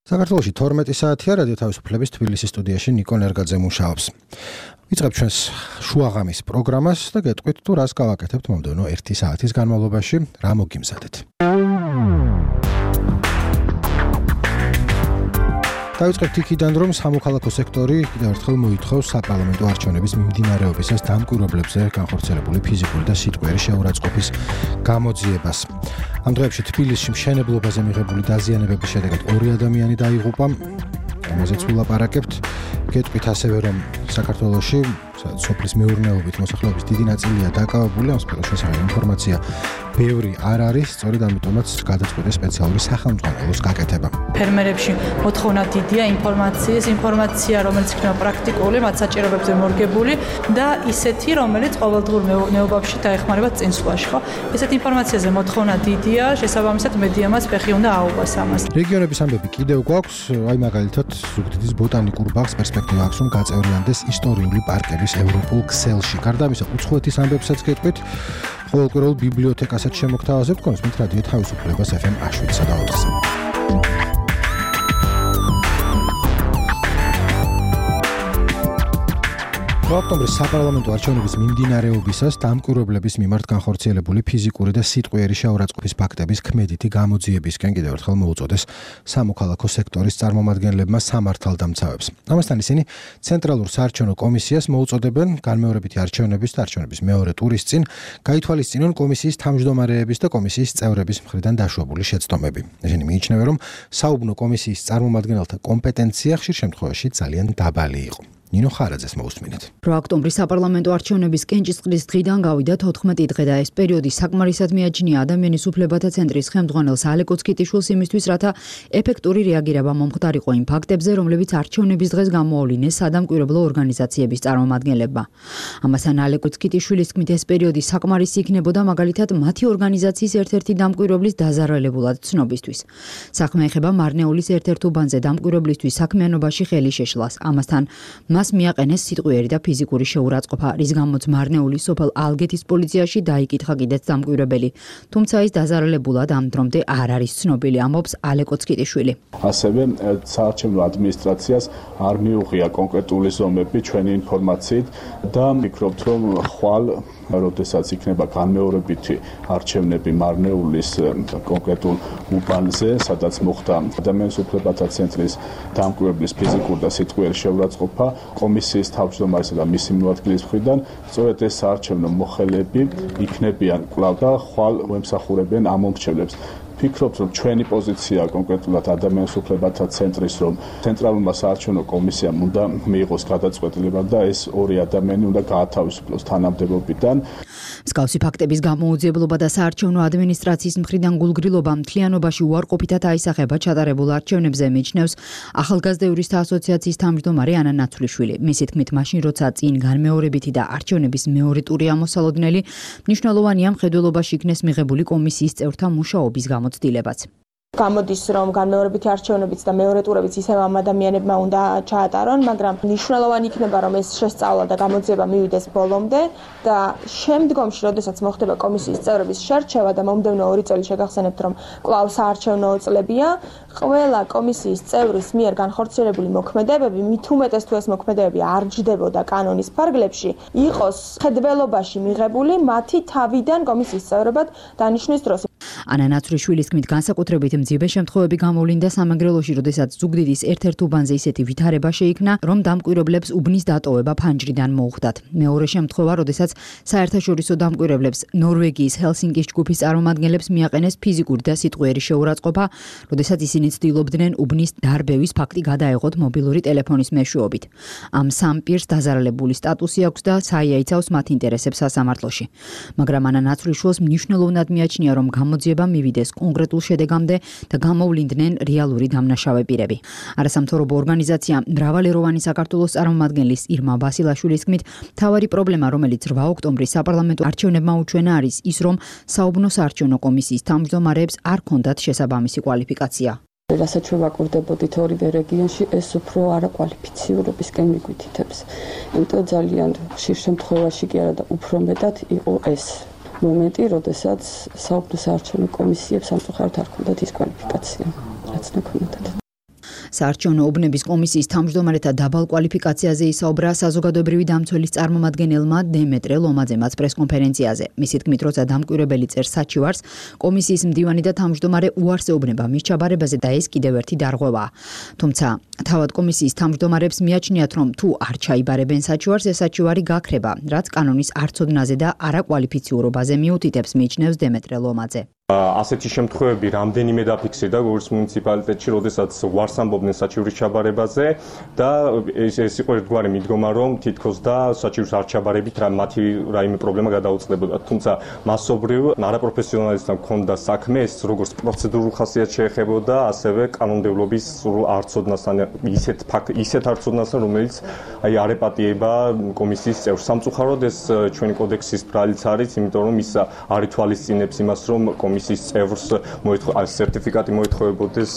საქართველოში 12 საათია რადიო თავისუფლების თბილისის სტუდიაში ნიკო ნერგაძე მუშაობს. ვიწყებ ჩვენს შუაღამის პროგრამას და გეტყვით თუ რას გავაკეთებთ მომდევნო 1 საათის განმავლობაში, რა მოგიმზადეთ. დავიწყებთ იქიდან, რომ სამოქალაქო სექტორი კიდევ ერთხელ მოითხოვს საპარლამენტო არჩევნების მიმდინარეობისას დამკვირვებლებზე განხორციელებული ფიზიკური და სიტყვიერი შეურაცხყოფის გამოძიებას. ამ დღეებში თბილისში მშენებლობაზე მიღებული დაზიანებების შედეგად 2 ადამიანი დაიღუპა. ამაზეც ვილაპარაკებთ. გეტყვით ასევე, რომ საქართველოში სოფლის მეურნეობით მოსახლეობის დიდი ნაწილია დაკავებული, ამ სფეროს შესახებ ინფორმაცია ბევრი არ არის, სწორედ ამიტომაც გადაწყვეტეს სპეციალური სახელმძღვანელოს გაკეთება. ფერმერებში მოთხოვნა დიდია ინფორმაცია, რომელიც იქნება პრაქტიკული, მათ საჭიროებებზე მორგებული და ისეთი, რომელიც ყოველდღიურ მეურნეობაში დაეხმარება წინსვლაში, ხო? ესეთ ინფორმაციაზე მოთხოვნა დიდია, შესაბამისად მედიამაც ფეხი უნდა აუღოს ამას. რეგიონების ამბები კიდევ გვაქვს, აი მაგალითად ზუგდიდის ბოტანიკურ ბაღს პერსპექტივა აქვს, რომ გაწევრიანდეს ისტორიული პარკების ევროპულ ქსელში. გარდა ამისა, უცხოეთის ამბებსაც გეტყვით, ყოველკვირეულ ბიბლიოთეკასაც შემოგთავაზებთ, კონსმით რადიო თავისუფლებას FM 7/4-ზე. ოქტომბრის საპარლამენტო არჩევნების მიმდინარეობისას დამკვირვებლების მიმართ განხორციელებული ფიზიკური და სიტყვიერი შეურაცხყოფის ფაქტების ქმედითი გამოძიებისკენ კიდევ ერთხელ მოუწოდეს სამოქალაქო სექტორის წარმომადგენლებმა სამართალდამცავებს. ამასთან ისინი ცენტრალურ საარჩევნო კომისიას მოუწოდებენ განმეორებითი არჩევნების და არჩევნების მეორე ტურის წინ გაითვალისწინონ კომისიის თავმჯდომარეების და კომისიის წევრების მხრიდან დაშვებული შეცდომები. ისინი მიიჩნევენ, რომ საუბნო კომისიის წარმომადგენელთა კომპეტენცია ხშირ შემთხვევაში ძალიან დაბალი იყო. ნინო ხარაძეს მოусმინეთ. ოქტომბრის საპარლამენტო არჩევნების კენჭისყრის დღიდან გავიდა 14 დღე და ეს პერიოდი საკმარისად მიაჩნია ადამიანის უფლებათა ცენტრის ხელმძღვანელს ალეკო ცკიტიშვილს იმისთვის, რათა ეფექტური რეაგირება მომხდარიყო იმ ფაქტებზე, რომლებიც არჩევნების დღეს გამოავლინეს სადამკვირვებლო ორგანიზაციების წარმომადგენლებმა. ამასთან ალეკო ცკიტიშვილის თქმით, ეს პერიოდი საკმარისი იქნებოდა მაგალითად მათი ორგანიზაციის ერთ-ერთი დამკვირვებლის დაზარალებულად ცნობისთვის. საქმე ეხება მარნეულის ერთ-ერთ უბანზე დამკვირვებლისთვის საქმიანობაში ხელი შეშლას. ამასთან მას მიაყენეს სიტყვიერი და ფიზიკური შეურაცხყოფა, რის გამოც მარნეულის სოფელ ალგეთის პოლიციაში დაიკითხა კიდეც დამკვირვებელი. თუმცა ის დაზარალებულად ამ დრომდე არ არის ცნობილი, ამბობს ალეკო ცკიტიშვილი. ასევე საარჩევნო ადმინისტრაციას არ მიუღია კონკრეტული ზომები ჩვენი ინფორმაციით და ვფიქრობთ, რომ ხვალ როდესაც იქნება განმეორებითი არჩევნები მარნეულის კონკრეტულ უბანზე, სადაც მოხდა ადამიანის უფლებათა ცენტრის დამკვირვებლის ფიზიკური და სიტყვიერი შეურაცხყოფა კომისიის თავმჯდომარისა და მისი მოადგილის მხრიდან, სწორედ ეს საარჩევნო მოხელეები იქნებიან კვლავ და ხვალ ემსახურებიან ამ მომრჩევლებს. ვფიქრობთ, რომ ჩვენი პოზიცია კონკრეტულად ადამიანის უფლებათა ცენტრის, რომ ცენტრალურმა საარჩევნო კომისიამ უნდა მიიღოს გადაწყვეტილება და ეს 2 ადამიანი უნდა გაათავისუფლოს თანამდებობიდან. მსგავსი ფაქტების გამოუძიებლობა და საარჩევნო ადმინისტრაციის მხრიდან გულგრილობა მთლიანობაში უარყოფითად აისახება ჩატარებულ არჩევნებზე, მიიჩნევს ახალგაზრდა იურისტთა ასოციაციის თავმჯდომარე ანა ნაცვლიშვილი. მისი თქმით, მაშინ როცა წინ განმეორებითი და არჩევნების მეორე ტური ამოსალოდნელი, მნიშვნელოვანია მხედველობაში იქნეს მიღებული კომისიის წევრთა მუშაობის გამოცდილებაც. გამოდის, რომ განმეორებითი არჩევნებიც და მეორე ტურებიც ისევ ამ ადამიანებმა უნდა ჩაატარონ, მაგრამ მნიშვნელოვანი იქნება, რომ ეს შესწავლა და გამოძიება მივიდეს ბოლომდე და შემდგომში, როდესაც მოხდება კომისიის წევრების შერჩევა და მომდევნო 2 წელი შეგახსენებთ, რომ კვლავ საარჩევნო წლებია, ყველა კომისიის წევრის მიერ განხორციელებული მოქმედებები, მით უმეტეს თუ ეს მოქმედებები არ ჯდებოდა კანონის ფარგლებში, იყოს მხედველობაში მიღებული მათი თავიდან კომისიის წევრებად დანიშვნის დროს. ანა ნაცვლიშვილის თქმით, განსაკუთრებით მძიმე შემთხვევები გამოვლინდა სამეგრელოში, როდესაც ზუგდიდის ერთ-ერთ უბანზე ისეთი ვითარება შეიქმნა, რომ დამკვირვებლებს უბნის დატოვება ფანჯრიდან მოუხდათ. მეორე შემთხვევა, როდესაც საერთაშორისო დამკვირვებლებს ნორვეგიის ჰელსინკის ჯგუფის წარმომადგენლებს მიაყენეს ფიზიკური და სიტყვიერი შეურაცხყოფა, როდესაც ისინი ცდილობდნენ უბნის დარბევის ფაქტი გადაეღოთ მობილური ტელეფონის მეშვეობით. ამ სამ პირს დაზარალებული სტატუსი აქვს და საიაიცავს მათ ინტერესებს სასამართლოში. მაგრამ ანა ნაცვლიშვილს მნიშვნელოვნად მიაჩნია, რომ გამოძიება მივიდეს კონკრეტულ შედეგამდე და გამოვლინდნენ რეალური დამნაშავე პირები. არასამთავრობო ორგანიზაცია მრავალეროვანი საქართველოს წარმომადგენლის ირმა ბასილაშვილის თქმით, მთავარი პრობლემა, რომელიც 8 ოქტომბრის საპარლამენტო არჩევნებმა უჩვენა, არის ის, რომ საუბნო საარჩევნო კომისიის თავმჯდომარეებს არ ჰქონდათ შესაბამისი კვალიფიკაცია. რასაც ვაკურდებოდით ორივე რეგიონში, ეს უფრო არაკვალიფიცირებისკენ მიგვითითებს. იმიტომ ძალიან ხშირ შემთხვევაში კი არა და უფრო მეტად იყო ეს მომენტი, როდესაც საუბნო საარჩევნო კომისიებს სამწუხაროდ არ ჰქონდათ ის კვალიფიკაცია, რაც ნაქვინოდათ. საარჩევნო უბნების კომისიის თავმჯდომარეთა დაბალ კვალიფიკაციაზე ისაუბრა საზოგადოებრივი დამცველის წარმომადგენელმა დემეტრე ლომაძემაც პრესკონფერენციაზე. მისი თქმით, როცა დამკვირვებელი წერს საჩივარს, კომისიის მდივანი და თავმჯდომარე უარს ეუბნება მის ჩაბარებაზე და ეს კიდევ ერთი დარღვევაა. თუმცა თავად კომისიის თავმჯდომარებს მიაჩნიათ, რომ თუ არ ჩაიბარებენ საჩივარს, ეს საჩივარი გაქრება, რაც კანონის არცოდნაზე და არაკვალიფიციურობაზე მიუთითებს, მიიჩნევს დემეტრე ლომაძე. ასეთი შემთხვევები რამდენიმე დაფიქსირდა გორის მუნიციპალიტეტში, როდესაც უარს ამბობდნენ საჩივრის ჩაბარებაზე და ეს იყო ერთგვარი მიდგომა, რომ თითქოს და საჩივრის არ ჩაბარებით მათი რაიმე პრობლემა გადაუწყდებოდა. თუმცა მასობრივ არაპროფესიონალისთან ჰქონდა საქმე, ეს როგორც პროცედურულ ხასიათს შეეხებოდა, ასევე კანონმდებლობის არცოდნასთან, ისეთ არცოდნასთან, რომელიც არ ეპატიება კომისიის წევრს. სამწუხაროდ ეს ჩვენი კოდექსის ბრალიც არის, იმიტომ რომ ის არ ითვალისწინებს იმას, რომ კომისიის წევრს სერტიფიკატი მოეთხოვებოდეს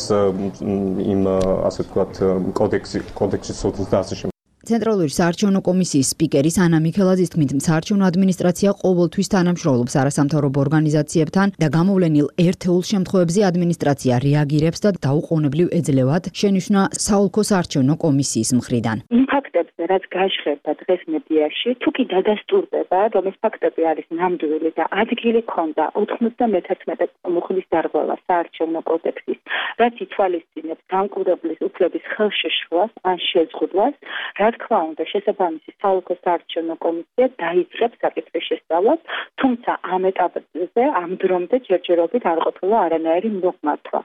იმ ასე ვთქვათ კოდექსის სოთის და ასე შემდეგ. ცენტრალური საარჩევნო კომისიის სპიკერის ანა მიქელაძის თქმით, საარჩევნო ადმინისტრაცია ყოველთვის თანამშრომლობს არასამთავრობო ორგანიზაციებთან და გამოვლენილ ერთეულ შემთხვევებზე ადმინისტრაცია რეაგირებს და დაუყოვნებლივ ეძლევათ, შენიშნა საოლქო საარჩევნო კომისიის მხრიდან. იმ ფაქტებზე, რაც გაჟღერდა დღეს მედიაში, თუ კი დადასტურდება, რომ ეს ფაქტები არის ნამდვილი და ადგილი ჰქონდა 91 მუხლის დარღვევა საარჩევნო კოდექსის, რაც ითვალისწინებს დამკვირვებლის უფლების ხელშეშლას ან შეზღუდვას, რა თქმა უნდა, შესაბამისი საოლქო საარჩევნო კომისია დაიწყებს საკითხის შესწავლას, თუმცა ამ ეტაპზე ამ დრომდე ჯერჯერობით არ ყოფილა არანაირი მოგმართვა.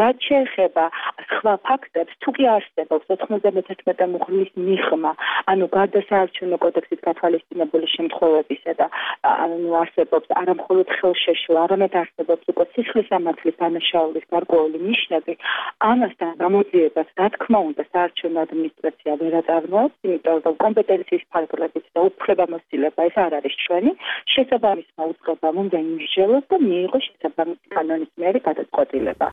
რაც შეეხება სხვა ფაქტებს, თუ კი არსებობს 91 მუხლის მიღმა, ანუ გარდა საარჩევნო კოდექსით გათვალისწინებული შემთხვევებისა და არსებობს არა მხოლოდ ხელშეშლა, არამედ არსებობს უკვე სისხლისამართლის დანაშაულის გარკვეული ნიშნები, ამასთან გამოძიებას, რა თქმა უნდა, საარჩევნო ადმინისტრაცია ვერ აწარმოებს, იმიტომ რომ კომპეტენციის ფარგლებით და უფლებამოსილება ეს არ არის ჩვენი, შესაბამისმა უწყებამ უნდა იმსჯელოს და მიიღოს შესაბამისი კანონის მიერ გადაწყვეტილება.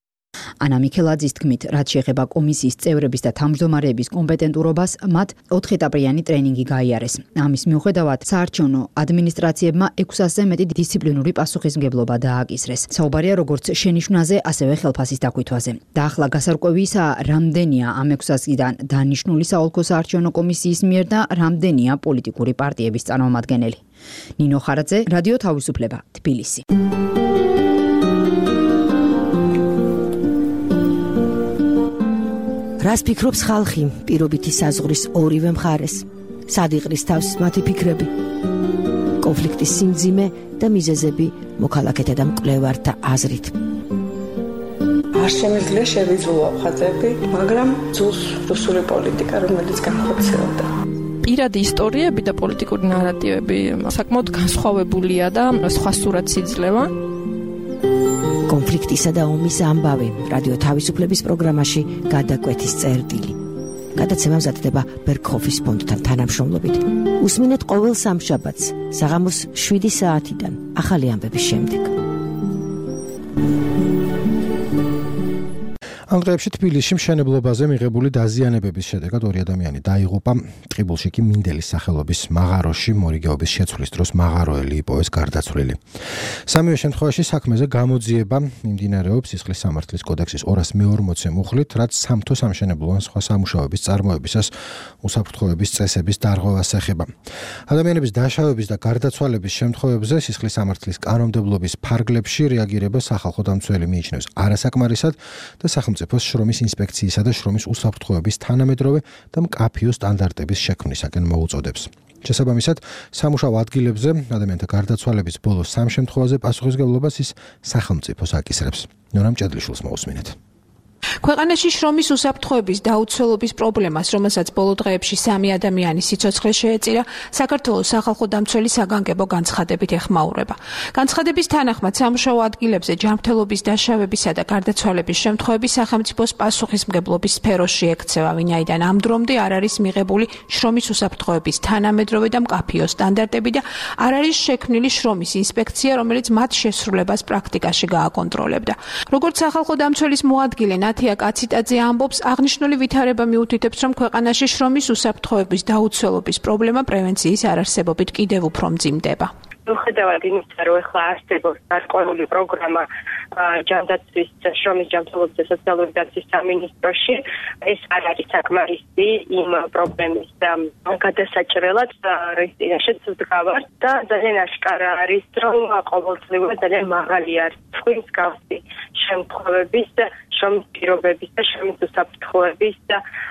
ანა მიქელაძის თქმით, რაც შეეხება კომისიის წევრების და თავმჯდომარეების კომპეტენტურობას, მათ 4 ეტაპიანი ტრენინგი გაიარეს. ამის მიუხედავად, საარჩევნო ადმინისტრაციებმა 600-ზე მეტი დისციპლინური პასუხისმგებლობა დააკისრეს. საუბარია როგორც შენიშვნაზე, ასევე ხელფასის დაკვითვაზე. და ახლა გასარკვევი ისაა, რამდენია ამ 600-დან დანიშნული საოლქო საარჩევნო კომისიის მიერ და რამდენია პოლიტიკური პარტიების წარმომადგენელი. ნინო ხარაძე, რადიო თავისუფლება, თბილისი. რას ფიქრობს ხალხი პირობითი საზღვრის ორივე მხარეს? სად იყრის თავს მათი ფიქრები? კონფლიქტის სიმძიმე და მიზეზები მოქალაქეთა და მკვლევართა აზრით. არ შემიძლია შევიძულო ხაზები, მაგრამ ძულს რუსული პოლიტიკა, რომელიც განხორციელდა. პირადი ისტორიები და პოლიტიკური ნარატივები საკმაოდ განსხვავებულია და სხვა სურათს იძლევა. კონფლიქტისა და ომის ამბავი რადიო თავისუფლების პროგრამაში გადაკვეთის წერტილი. გადაცემა მზადდება ბერგჰოფის ფონდთან თანამშრომლობით. უსმინეთ ყოველ სამშაბათს საღამოს 7 საათიდან ახალი ამბების შემდეგ. ამ დღეებში თბილისში მშენებლობაზე მიღებული დაზიანებების შედეგად 2 ადამიანი დაიღუპა. ტყიბულში კი მინდელის სახელობის მაღაროში მორიგეობის შეცვლის დროს მაღაროელი იპოვეს გარდაცვლილი. სამივე შემთხვევაში საქმეზე გამოძიება მიმდინარეობს სისხლის სამართლის კოდექსის 240 მუხლით, რაც სამთო სამშენებლო ან სხვა სამუშაოების წარმოებისას უსაფრთხოების წესების დარღვევას ეხება. ადამიანების დაშავების და გარდაცვალების შემთხვევებზე სისხლის სამართლის კანონმდებლობის ფარგლებში რეაგირება სახალხო დამცველი მიიჩნევს არასაკმარისად და სახელმწიფოს შრომის ინსპექციისა და შრომის უსაფრთხოების თანამედროვე და მკაფიო სტანდარტების შექმნისაკენ მოუწოდებს. შესაბამისად, სამუშაო ადგილებზე ადამიანთა გარდაცვალების ბოლო 3 შემთხვევაზე პასუხისმგებლობას ის სახელმწიფოს აკისრებს. ნორამ ჭედლიშვილს მოусმინეთ. ქვეყანაში შრომის უსაფრთხოების დაუცველობის პრობლემას, რომელსაც ბოლო დღეებში 3 ადამიანის სიცოცხლე შეეწირა, საქართველოს სახალხო დამცველი საგანგებო განცხადებით ეხმაურება. განცხადების თანახმად, სამუშაო ადგილებზე ჯანმრთელობის დაშავებისა და გარდაცვალების შემთხვევები სახელმწიფოს პასუხისმგებლობის სფეროში ექცევა, ვინაიდან ამ დრომდე არ არის მიღებული შრომის უსაფრთხოების თანამედროვე და მკაფიო სტანდარტები და არ არის შექმნილი შრომის ინსპექცია, რომელიც მათ შესრულებას პრაქტიკაში გააკონტროლებდა. როგორც სახალხო დამცველის მოადგილე ნათია კაციტაძე ამბობს, აღნიშნული ვითარება მიუთითებს, რომ ქვეყანაში შრომის უსაფრთხოების დაუცველობის პრობლემა პრევენციის არარსებობით კიდევ უფრო მძიმდება. მიუხედავად იმისა, რომ ახლა არსებობს გარკვეული პროგრამა ჯანდაცვის შრომის ჯანმრთელობის და სოციალური დაცვის სამინისტროში, ეს არ არის საკმარისი იმ პრობლემის გადასაჭრელად, რის წინაშეც ვდგავართ და ძალიან აშკარა არის, რომ ყოველწლიურად ძალიან მაღალი არის თქვის გავსი შემთხვევების შრომის პირობების და შრომის უსაფრთხოების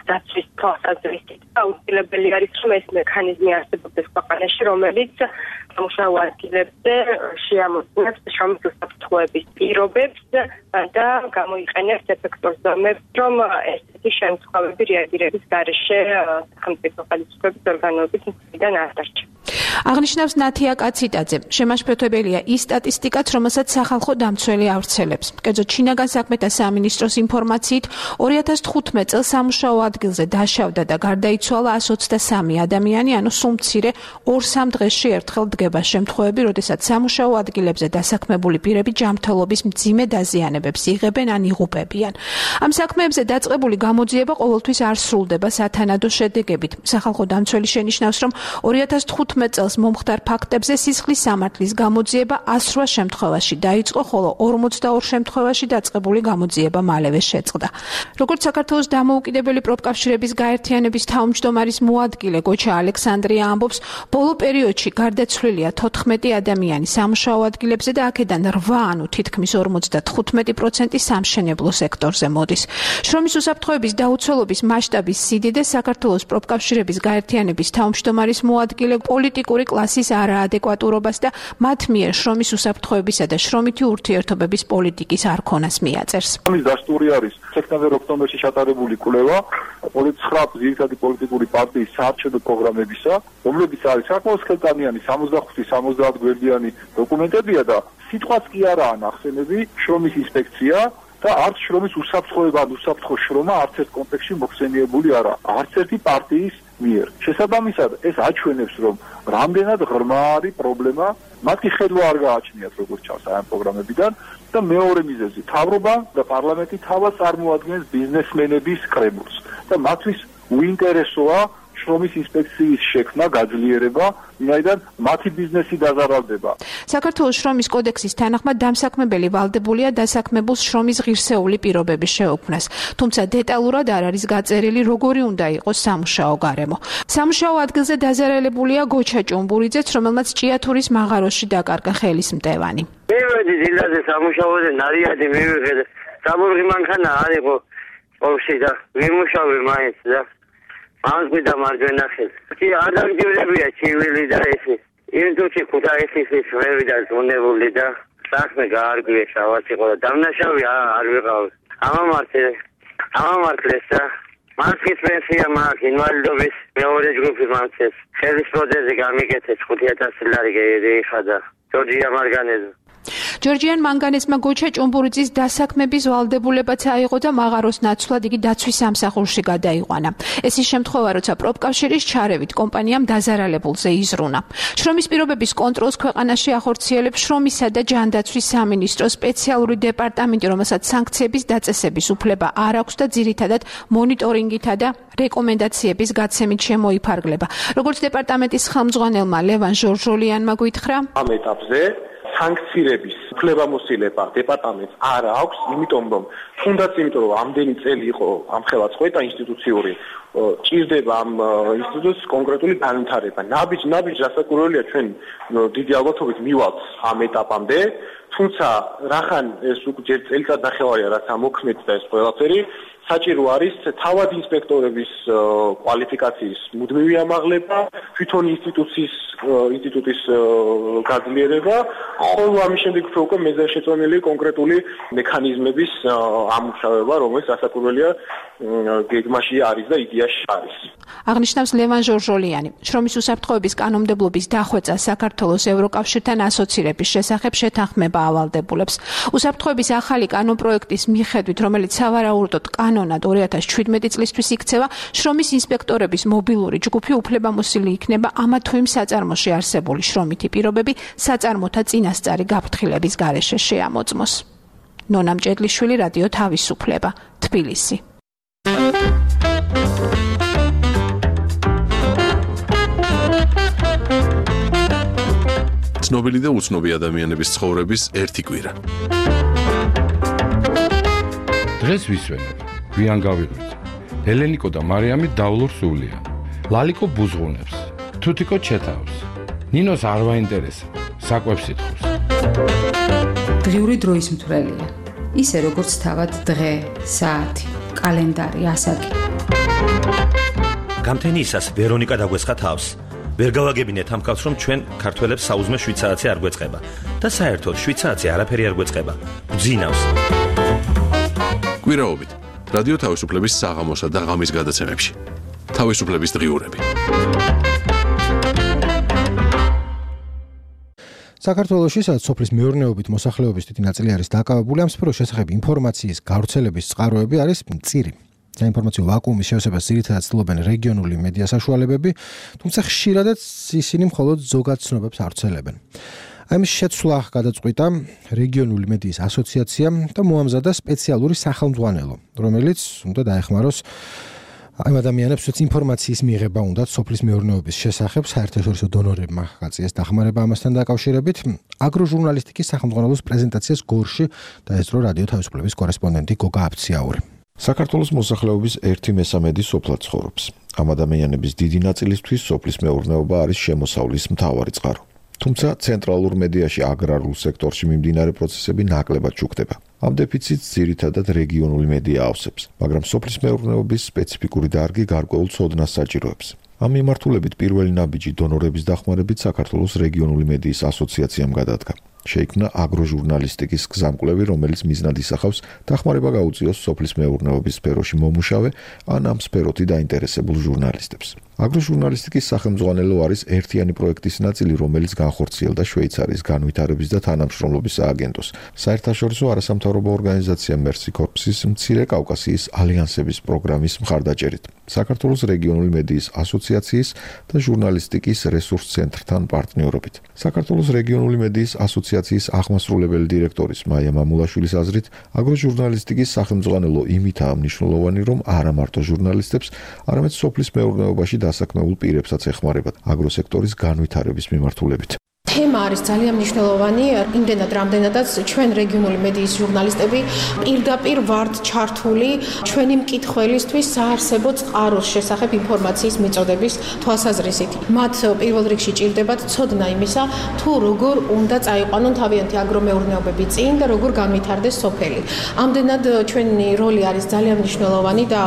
დაცვის თვალსაზრისით. აუცილებელი არის, რომ ეს მექანიზმი არსებობდეს ქვეყანაში, რომელიც სამუშაო ადგილებზე შეამოწმებს შრომის უსაფრთხოების პირობებს და გამოიყენებს ეფექტურ ზომებს, რომ ესეთი შემთხვევები რეაგირების გარეშე სახელმწიფო ხელისუფლების ორგანოების მხრიდან არ დარჩა. აღნიშნავს ნათია კაციტაძე. შემაშფოთებელია ის სტატისტიკაც, რომელსაც სახალხო დამცველი ავრცელებს. კერძოდ შინაგან საქმეთა სამინისტროს ინფორმაციით 2015 წელს სამუშაო ადგილზე დაშავდა და გარდაიცვალა 123 ადამიანი, ანუ სულ მცირე 2-3 დღეში ერთხელ დგება შემთხვევები, როდესაც სამუშაო ადგილებზე დასაქმებული პირები ჯანმრთელობის მძიმე დაზიანებებს იღებენ ან იღუპებიან. ამ საქმეებზე დაწყებული გამოძიება ყოველთვის არ სრულდება სათანადო შედეგებით. სახალხო დამცველი შენიშნავს, რომ 2015 წელს მომხდარ ფაქტებზე სისხლის სამართლის გამოძიება 108 შემთხვევაში დაიწყო, ხოლო 42 შემთხვევაში დაწყებული გამოძიება მალევე შეწყდა. როგორც საქართველოს დამოუკიდებელი პროფკავშირების გაერთიანების თავმჯდომარის მოადგილე გოჩა ალექსანდრია ამბობს, ბოლო პერიოდში გარდაცვლილია 14 ადამიანი სამუშაო ადგილებზე და აქედან 8, ანუ თითქმის 55% სამშენებლო სექტორზე მოდის. შრომის უსაფრთხოების დაუცველობის მასშტაბის სიდიდე საქართველოს პროფკავშირების გაერთიანების თავმჯდომარის მოადგილე პოლიტიკური კლასის არაადეკვატურობას და მათ მიერ შრომის უსაფრთხოებისა და შრომითი ურთიერთობების პოლიტიკის არქონას მიაწერს. ამის დასტური არის სექტემბერ-ოქტომბერში ჩატარებული კვლევა 29 ძირითადი პოლიტიკური პარტიის საარჩევნო პროგრამებისა, რომლებიც არის საკმაოდ ხელკანიანი 65-70 გვერდიანი დოკუმენტებია და სიტყვაც კი არაა ნახსენები შრომის ინსპექცია და არც შრომის უსაფრთხოება და უსაფრთხო შრომა არც ერთ კონტექსტში მოხსენიებული არა, არც ერთი პარტიის მიერ. შესაბამისად, ეს აჩვენებს, რომ რამდენად ღრმა არის პრობლემა, მათი ხედვა არ გააჩნიათ როგორც ჩანს ამ პროგრამებიდან და მეორე მიზეზი, მთავრობა და პარლამენტი თავად წარმოადგენს ბიზნესმენების კრებულს და მათთვის უინტერესოა შრომის ინსპექციის შექმნა, გაძლიერება, ვინაიდან მათი ბიზნესი დაზარალდება. საქართველოს შრომის კოდექსის თანახმად დამსაქმებელი ვალდებულია დასაქმებულს შრომის ღირსეული პირობების შეუქმნას, თუმცა დეტალურად არ არის გაწერილი, როგორი უნდა იყოს სამუშაო გარემო. სამუშაო ადგილზე დაზარალებულია გოჩა ჭუმბურიძეც, რომელმაც ჭიათურის მაღაროში დაკარგა ხელის მტევანი. მივედი დილაზე სამუშაოზე, ნარიადი მივიღე. საბურღი მანქანა არ იყო ყოვში და ვიმუშავე მაინც და ამას მიდა მარჯვენა ხელი. კი ადაგდებია ჩივილი და ესი. ინდუჩი ქუთაისის ვები და ზონებული და საქმე გაარგვია შავაც იყო და დამნაშავე არ ვიყავ. ამამართლეს და მასკის პენსია მაქვს, ინვალიდობის მეორე ჯგუფი მაქვს. ხელის პროთეზი გამიკეთეს 5000 ლარი გაიხადა. ჯორჯია მარგანეზა. ჯორჯიან მანგანესმა გოჩა ჭუმბურიძის დასაქმების ვალდებულებაც აიღო და მაღაროს ნაცვლად იგი დაცვის სამსახურში გადაიყვანა. ეს ის შემთხვევა, როცა პროფკავშირის ჩარევით კომპანიამ დაზარალებულზე იზრუნა. შრომის პირობების კონტროლს ქვეყანაში ახორციელებს შრომისა და ჯანდაცვის სამინისტროს სპეციალური დეპარტამენტი, რომელსაც სანქციების დაწესების უფლება არ აქვს და ძირითადად მონიტორინგითა და რეკომენდაციების გაცემით შემოიფარგლება. როგორც დეპარტამენტის ხელმძღვანელმა ლევან ჟორჟოლიანმა გითხრა, ამ ეტაპზე სანქცირების უფლებამოსილება დეპარტამენტს არ აქვს, იმიტომ რომ ამდენი წელი იყო ამხელა წყვეტა ინსტიტუციური, ჭირდება ამ ინსტიტუტს კონკრეტული განვითარება. ნაბიჯ რასაკვირველია ჩვენ დიდი ალბათობით მივალთ ამ ეტაპამდე, თუმცა რახან ეს უკვე ჯერ წელიწად ნახევარია რაც ამოქმედდა ეს ყველაფერი, საჭირო არის თავად ინსპექტორების კვალიფიკაციის მუდმივი ამაღლება, თვითონ ინსტიტუტის გაძლიერება, ხოლო ამის შემდეგ უკვე მეზარშეწონილი კონკრეტული მექანიზმების ამუშავება, რომელიც რასაკვირველია გეგმაში არის და იდეაში არის. აღნიშნავს ლევან ჟორჟოლიანი. შრომის უსაფრთხოების კანონმდებლობის დახვეწა საქართველოს ევროკავშირთან ასოცირების შესახებ შეთანხმება ავალდებულებს. უსაფრთხოების ახალი კანონპროექტის მიხედვით, რომელიც სავარაუდოდ კანონად 2017 წლისთვის იქცევა, შრომის ინსპექტორების მობილური ჯგუფი უფლებამოსილი იქნება ამა თუ იმ საწარმოში არსებული შრომითი პირობები საწარმოთა წინასწარი გაფრთხილების გარეშე შეამოწმოს. ნონა მჭედლიშვილი, რადიო თავისუფლება, თბილისი. ცნობილი და უცნობი ადამიანების ცხოვრების ერთი კვირა. დღეს ვისვენებ, გვიან გავიღვიძე. ელენიკო და მარიამი დავლურ სულიან. ლალიკო ბუზღუნებს, თუთიკო ჩეთავს. ნინოს არ ვაინტერესებს, საკვებს ითხოვს. დღიური დროის მთვრელია. ისე როგორც თავად დღე, საათი, კალენდარი, ასაკი. გამთენიისას ვერონიკა დაგვესხა თავს. ვერ გავაგებინეთ ამ კაცს, რომ ჩვენ ქართველებს საუზმე შვიცარაცი არ გვეწყება და საერთოდ შვიცარაცი არაფერი არ გვეწყება. გძინავს. კვირაობით რადიო თავისუფლების საღამოსა და ღამის გადაცემებში. თავისუფლების დღიურები. საქართველოში სადაც სოფლის მეურნეობით მოსახლეობის დიდი ნაწილი არის დაკავებული ამ სფეროს შესახებ ინფორმაციის გავრცელების წყაროები არის მწირი. საინფორმაციო ვაკუუმის შევსებას ძირითადად ცდილობენ რეგიონული მედია საშუალებები, თუმცა ხშირადაც ისინი მხოლოდ ზოგად ცნობებს ავრცელებენ. ამის შეცვლა გადაწყვიტა რეგიონული მედიის ასოციაციამ და მოამზადა სპეციალური სახელმძღვანელო, რომელიც უნდა დაეხმაროს ამ ადამიანებს ინფორმაციის მიღება უნდათ სოფლის მეურნეობის შესახებ, საერთაშორისო დონორებმა გაწიეს დახმარება ამასთან დაკავშირებით. აგროჟურნალისტიკის სახელმძღვანელოს პრეზენტაციას გორში დაესწრო რადიო თავისუფლების კორესპონდენტი გოგა აფციაური. საქართველოს მოსახლეობის 1/3 სოფლად ცხოვრობს. ამ ადამიანების დიდი ნაწილისთვის სოფლის მეურნეობა არის შემოსავლის მთავარი წყარო. თუმცა ცენტრალურ მედიაში აგრარულ სექტორში მიმდინარე პროცესები ნაკლებად შუქდება. ამ დეფიციტს ძირითადად რეგიონული მედია ავსებს, მაგრამ სოფლის მეურნეობის სპეციფიკური დარგი გარკვეულ ცოდნას საჭიროებს. ამ მიმართულებით პირველი ნაბიჯი დონორების დახმარებით საქართველოს რეგიონული მედიის ასოციაციამ გადადგა. შეიქმნა აგროჟურნალისტიკის გზამკვლევი, რომელიც მიზნად ისახავს დახმარება გაუწიოს სოფლის მეურნეობის სფეროში მომუშავე ან ამ სფეროთი დაინტერესებულ ჟურნალისტებს. აგროჟურნალისტიკის სახელმძღვანელო არის ერთიანი პროექტის ნაწილი, რომელიც განხორციელდა შვეიცარიის განვითარების და თანამშრომლობის სააგენტოს, საერთაშორისო არასამთავრობო ორგანიზაცია Mercy Corps-ის მცირე კავკასიის ალიანსების პროგრამის მხარდაჭერით, საქართველოს რეგიონული მედიის ასოციაციის და ჟურნალისტიკის რესურს ცენტრთან პარტნიორობით. საქართველოს რეგიონული მედიის ასოციაციის აღმასრულებელი დირექტორის მაია მამულაშვილის აზრით, აგროჟურნალისტიკის სახელმძღვანელო იმითაა მნიშვნელოვანი, რომ არა მარტო ჟურნალისტებს, არამედ სოფლის მეურნეობაში დასაქმებულ პირებსაც ეხმარებათ აგროსექტორის განვითარების მიმართულებით. თემა არის ძალიან მნიშვნელოვანი, იმდენად რამდენადაც ჩვენ რეგიონული მედიის ჟურნალისტები პირდაპირ ვართ ჩართული ჩვენი მკითხველისთვის საარსებო წყაროს შესახებ ინფორმაციის მიწოდების თვალსაზრისით. მათ პირველ რიგში ჭირდებათ ცოდნა იმისა, თუ როგორ უნდა წაიყვანონ თავიანთი აგრომეურნეობები წინ და როგორ განვითარდეს სოფელი. ამდენად ჩვენი როლი არის ძალიან მნიშვნელოვანი და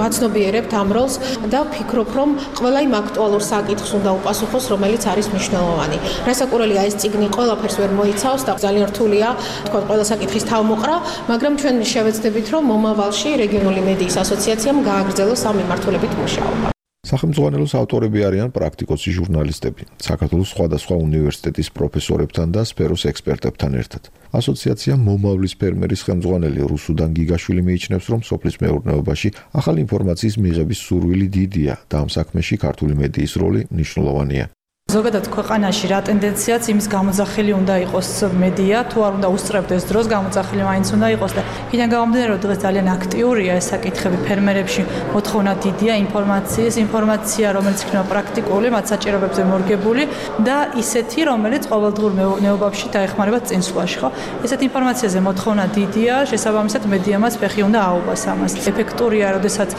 ვაცნობიერებთ ამ როლს და ვფიქრობ, რომ ყველა იმ აქტუალურ საკითხს უნდა უპასუხოს, რომელიც არის მნიშვნელოვანი. საკურველია ეს წიგნი ყველაფერს ვერ მოიცავს და ძალიან რთულია თქვა ყველა საკითხის თავმოყრა, მაგრამ ჩვენ შევეცდებით, რომ მომავალში რეგიონული მედიის ასოციაციამ გააგრძელოს ამ მიმართულებით მუშაობა. სახელმძღვანელოს ავტორები არიან პრაქტიკოსი ჟურნალისტები, საქართველოს სხვადასხვა უნივერსიტეტის პროფესორებთან და სფეროს ექსპერტებთან ერთად. ასოციაცია მომავლის ფერმერის ხელმძღვანელი რუსუდან გიგაშვილი მიიჩნევს, რომ სოფლის მეურნეობაში ახალი ინფორმაციის მიღების სურვილი დიდია და ამ საქმეში ქართული მედიის როლი მნიშვნელოვანია. ზოგადად ქვეყანაში რა ტენდენციაც იმის გამოძახილი უნდა იყოს მედია, თუ არ უნდა უსწრებდეს დროს გამოძახილი მაინც უნდა იყოს და იქიდან გამომდინარე, რომ დღეს ძალიან აქტიურია ეს საკითხები ფერმერებში, მოთხოვნა დიდია ინფორმაცია, რომელიც იქნება პრაქტიკული, მათ საჭიროებებზე მორგებული და ისეთი, რომელიც ყოველდღიურ მეურნეობაში დაეხმარება წინსვლაში, ხო? ესეთ ინფორმაციაზე მოთხოვნა დიდია, შესაბამისად მედიამაც ფეხი უნდა აუღოს ამას. ეფექტურია, როდესაც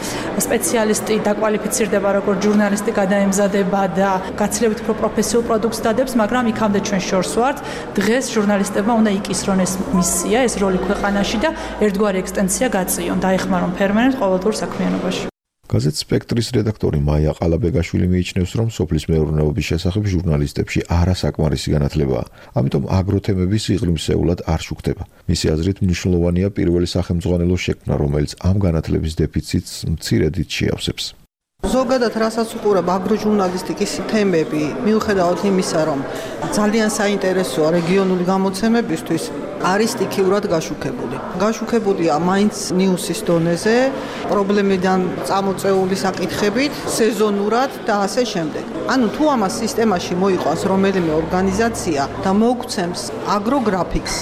სპეციალისტი დაკვალიფიცირდება როგორც ჟურნალისტი გადაემზადება და გაცილებით პროფესიულ პროდუქტს დადებს, მაგრამ იქამდე ჩვენ შორს ვართ. დღეს ჟურნალისტებმა უნდა იკისრონ ეს მისია, ეს როლი ქვეყანაში და ერთგვარი ექსტენსია გაწიონ, დაეხმარონ ფერმერებს ყოველდღიურ საქმიანობაში. გაზეთ სპექტრის რედაქტორი მაია ყალაბეგაშვილი მიიჩნევს, რომ სოფლის მეურნეობის შესახებ ჟურნალისტებში არასაკმარისი განათლებაა. ამიტომ აგროთემები სიღრმისეულად არ შუქდება. მისი აზრით მნიშვნელოვანია პირველი სახელმძღვანელოს შექმნა, რომელიც ამ განათლების დეფიციტს მცირედით შეავსებს. ზოგადად რასაც უყურებ აგროჟურნალისტიკის თემები, მიუხედავად იმისა, რომ ძალიან საინტერესოა რეგიონული გამოცემებისთვის, არის სტიქიურად გაშუქებული. გაშუქებულია მაინც ნიუსის დონეზე, პრობლემიდან წამოწეული საკითხებით, სეზონურად და ასე შემდეგ. ანუ თუ ამას სისტემაში მოიყვანს რომელიმე ორგანიზაცია და მოგვცემს აგროგრაფიკს,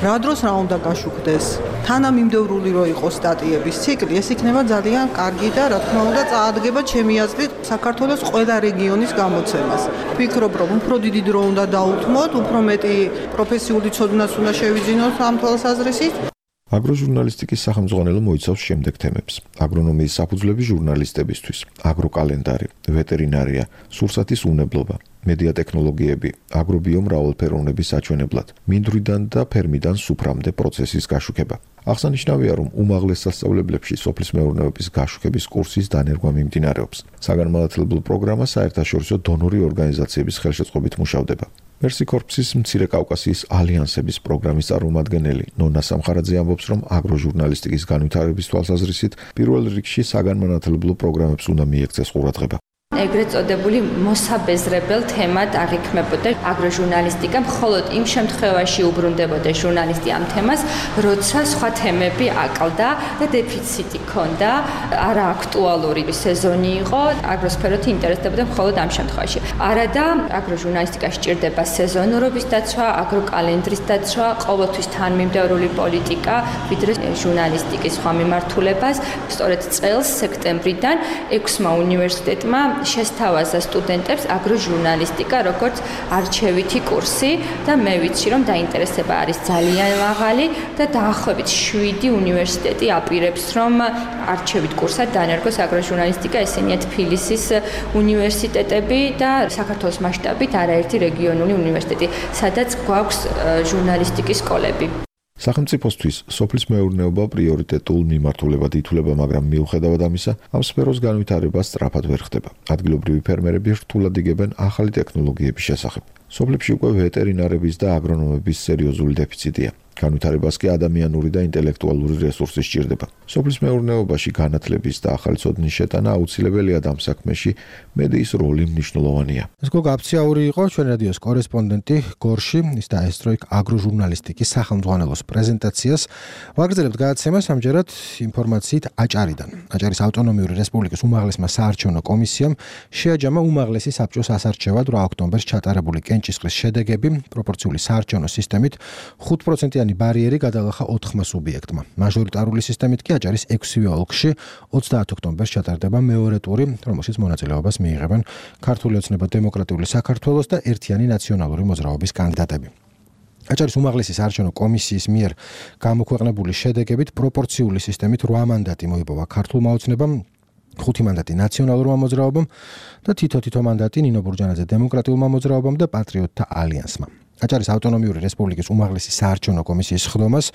რა დროს რა უნდა გაშუქდეს თანამიმდევრული რო იყოს სტატიების ციკლი, ეს იქნება ძალიან კარგი და რა თქმა უნდა წაადგება ჩემი აზრით საქართველოს ყველა რეგიონის გამოცემას. ვფიქრობ, რომ უფრო დიდი დრო უნდა დაუთმოთ, უფრო მეტი პროფესიული ცოდნას უნდა შევიძინოთ ამ თვალსაზრისით. აგროჟურნალისტიკის სახელმძღვანელო მოიცავს შემდეგ თემებს: აგრონომიის საფუძვლები ჟურნალისტებისთვის, აგროკალენდარი, ვეტერინარია, სურსათის უნებლობა, მედია ტექნოლოგიები, აგრობიომრავალფეროვნების საჩვენებლად, მინდვრიდან და ფერმიდან სუფრამდე პროცესის გაშუქება. აღსანიშნავია, რომ უმაღლეს სასწავლებლებში სოფლის მეურნეობის გაშუქების კურსის დანერგვა მიმდინარეობს. საგანმანათლებლო პროგრამა საერთაშორისო დონორი ორგანიზაციების ხელშეწყობით მუშავდება. მერსი კორპუსის მცირე კავკასიის ალიანსების პროგრამის წარმომადგენელი ნონა სამხარაძე ამბობს, რომ აგროჟურნალისტიკის განვითარების თვალსაზრისით პირველ რიგში საგანმანათლებლო პროგრამებს უნდა მიექცეს ყურადღება. ეგრეთ წოდებული მოსაბეზრებელ თემად აღიქმებოდა აგროჟურნალისტიკა, მხოლოდ იმ შემთხვევაში უბრუნდებოდა ჟურნალისტი ამ თემას, როცა სხვა თემები აკლდა და დეფიციტი ჰქონდა, არა აქტუალური სეზონი იყო, აგროსფეროთი ინტერესდებოდა მხოლოდ ამ შემთხვევაში. არადა აგროჟურნალისტიკა სჭირდება სეზონურობის დაცვა, აგროკალენდრის დაცვა, ყოველთვის თანმიმდევრული პოლიტიკა, ვიდრე ჟურნალისტიკის სხვა მიმართულებას. სწორედ წელს სექტემბრიდან 6-მა უნივერსიტეტმა შესთავაზა სტუდენტებს აგროჟურნალისტიკა როგორც არჩევითი კურსი და მე ვიცი, რომ დაინტერესება არის ძალიან მაღალი და დაახლოებით 7 უნივერსიტეტი აპირებს, რომ არჩევით კურსად დანერგოს აგროჟურნალისტიკა, ესენია თბილისის უნივერსიტეტები და საქართველოს მასშტაბით არაერთი რეგიონული უნივერსიტეტი, სადაც გვაქვს ჟურნალისტიკის სკოლები. სახელმწიფოსთვის სოფლის მეურნეობა პრიორიტეტულ მიმართულებად ითვლება, მაგრამ მიუხედავად ამისა, ამ სფეროს განვითარება სწრაფად ვერ ხდება. ადგილობრივი ფერმერები რთულად იგებენ ახალი ტექნოლოგიების შესახებ. სოფლებში უკვე ვეტერინარების და აგრონომების სერიოზული დეფიციტია. განვითარებას კი ადამიანური და ინტელექტუალური რესურსი სჭირდება. სოფლის მეურნეობაში განათლების და ახალი ცოდნის შეტანა აუცილებელია და ამ საქმეში მედიის როლი მნიშვნელოვანია. ეს გოგა აფციაური იყო ჩვენ რადიოს კორესპონდენტი გორში, ის დაესწრო იქ აგროჟურნალისტიკის სახელმძღვანელოს პრეზენტაციას. ვაგრძელებთ გადაცემას ამჯერად ინფორმაციით აჭარიდან. აჭარის ავტონომიური რესპუბლიკის უმაღლესმა საარჩევნო კომისიამ შეაჯამა უმაღლესი საბჭოს ასარჩევად 8 ოქტომბერს ჩატარებული კენჭისყრის შედეგები პროპორციული საარჩევნო სისტემით 5% ბარიერი გადალახა 4 სუბიექტმა. მაჟორიტარული სისტემით კი აჭარის 6-ვე ოლქში 30 ოქტომბერს ჩატარდება მეორე ტური, რომელშიც მონაწილეობას მიიღებენ ქართული ოცნება დემოკრატიული საქართველოს და ერთიანი ნაციონალური მოძრაობის კანდიდატები. აჭარის უმაღლესი საარჩევნო კომისიის მიერ გამოქვეყნებული შედეგებით პროპორციული სისტემით 8 მანდატი მოიპოვა ქართულმა ოცნებამ, 5 მანდატი ნაციონალურმა მოძრაობამ და თითო მანდატი ნინო ბურჯანაძე დემოკრატიულმა მოძრაობამ და პატრიოტთა ალიანსმა. აჭარის ავტონომიური რესპუბლიკის უმაღლესი საარჩევნო კომისიის ხდომას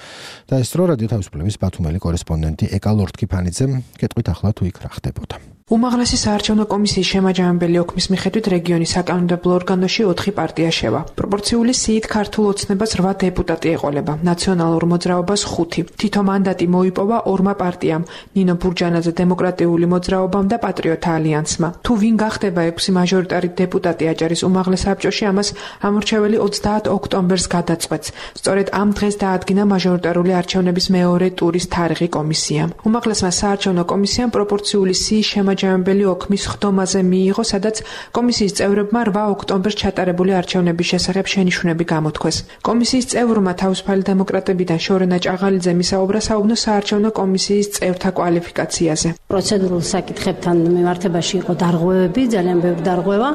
დაესწრო რადიო თავისუფლების ბათუმელი კორესპონდენტი ეკა ლორთქიფანიძე, კეთყვით ახლა თუ იქ რა ხდებოდა. უმაღლესი საარჩევნო კომისიის შემაჯამებელი ოქმის მიხედვით რეგიონის საკანონმდებლო ორგანოში 4 პარტია შევა. პროპორციული სიით ქართულ ოცნებას 8 დეპუტატი ეყოლება, ნაციონალურ მოძრაობას 5. თითო მანდატი მოიპოვა 2 პარტიამ, ნინო ბურჯანაძე დემოკრატიული მოძრაობამ და პატრიოტთა ალიანსმა. თუ ვინ გახდება 6 მაჟორიტარი დეპუტატი აჭარის უმაღლეს საბჭოში, ამას ამორჩეველი 30 ოქტომბერს გადაწყვეტს. სწორედ ამ დღეს დაადგინა მაჟორიტარული არჩევნების მეორე ტურის თარიღი კომისიამ. უმაღლესმა საარჩევნო კომისიამ პროპორციული სიის შემაჯამებელი ოქმის ხდომაზე მიიღო, სადაც კომისიის წევრებმა 8 ოქტომბერს ჩატარებული არჩევნების შესახებ შენიშვნები გამოთქვეს. კომისიის წევრმა თავისუფალი დემოკრატებიდან შორენა ჭაღალიძე მისაუბრა საუბნო საარჩევნო კომისიის წევრთა კვალიფიკაციაზე. პროცედურულ საკითხებთან მიმართებაში იყო დარღვევები, ძალიან ბევრი დარღვევა,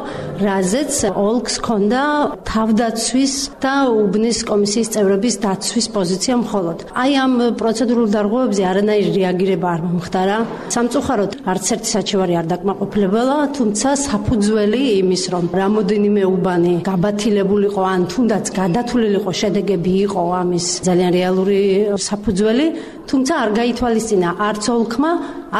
რაზეც ოლქს ჰქონდა თავდაცვის და უბნის კომისიის წევრების დაცვის პოზიცია მხოლოდ. აი ამ პროცედურულ დარღვევებზე არანაირი რეაგირება არ მომხდარა. სამწუხაროდ არც ერთი საჩივარი არ დაკმაყოფილებულა, თუმცა საფუძველი იმის, რომ რამოდენიმე უბანი გაბათილებულიყო ან თუნდაც გადათვლილიყო შედეგები იყო ამის ძალიან რეალური საფუძველი, თუმცა არ გაითვალისწინა არც ოლქმა,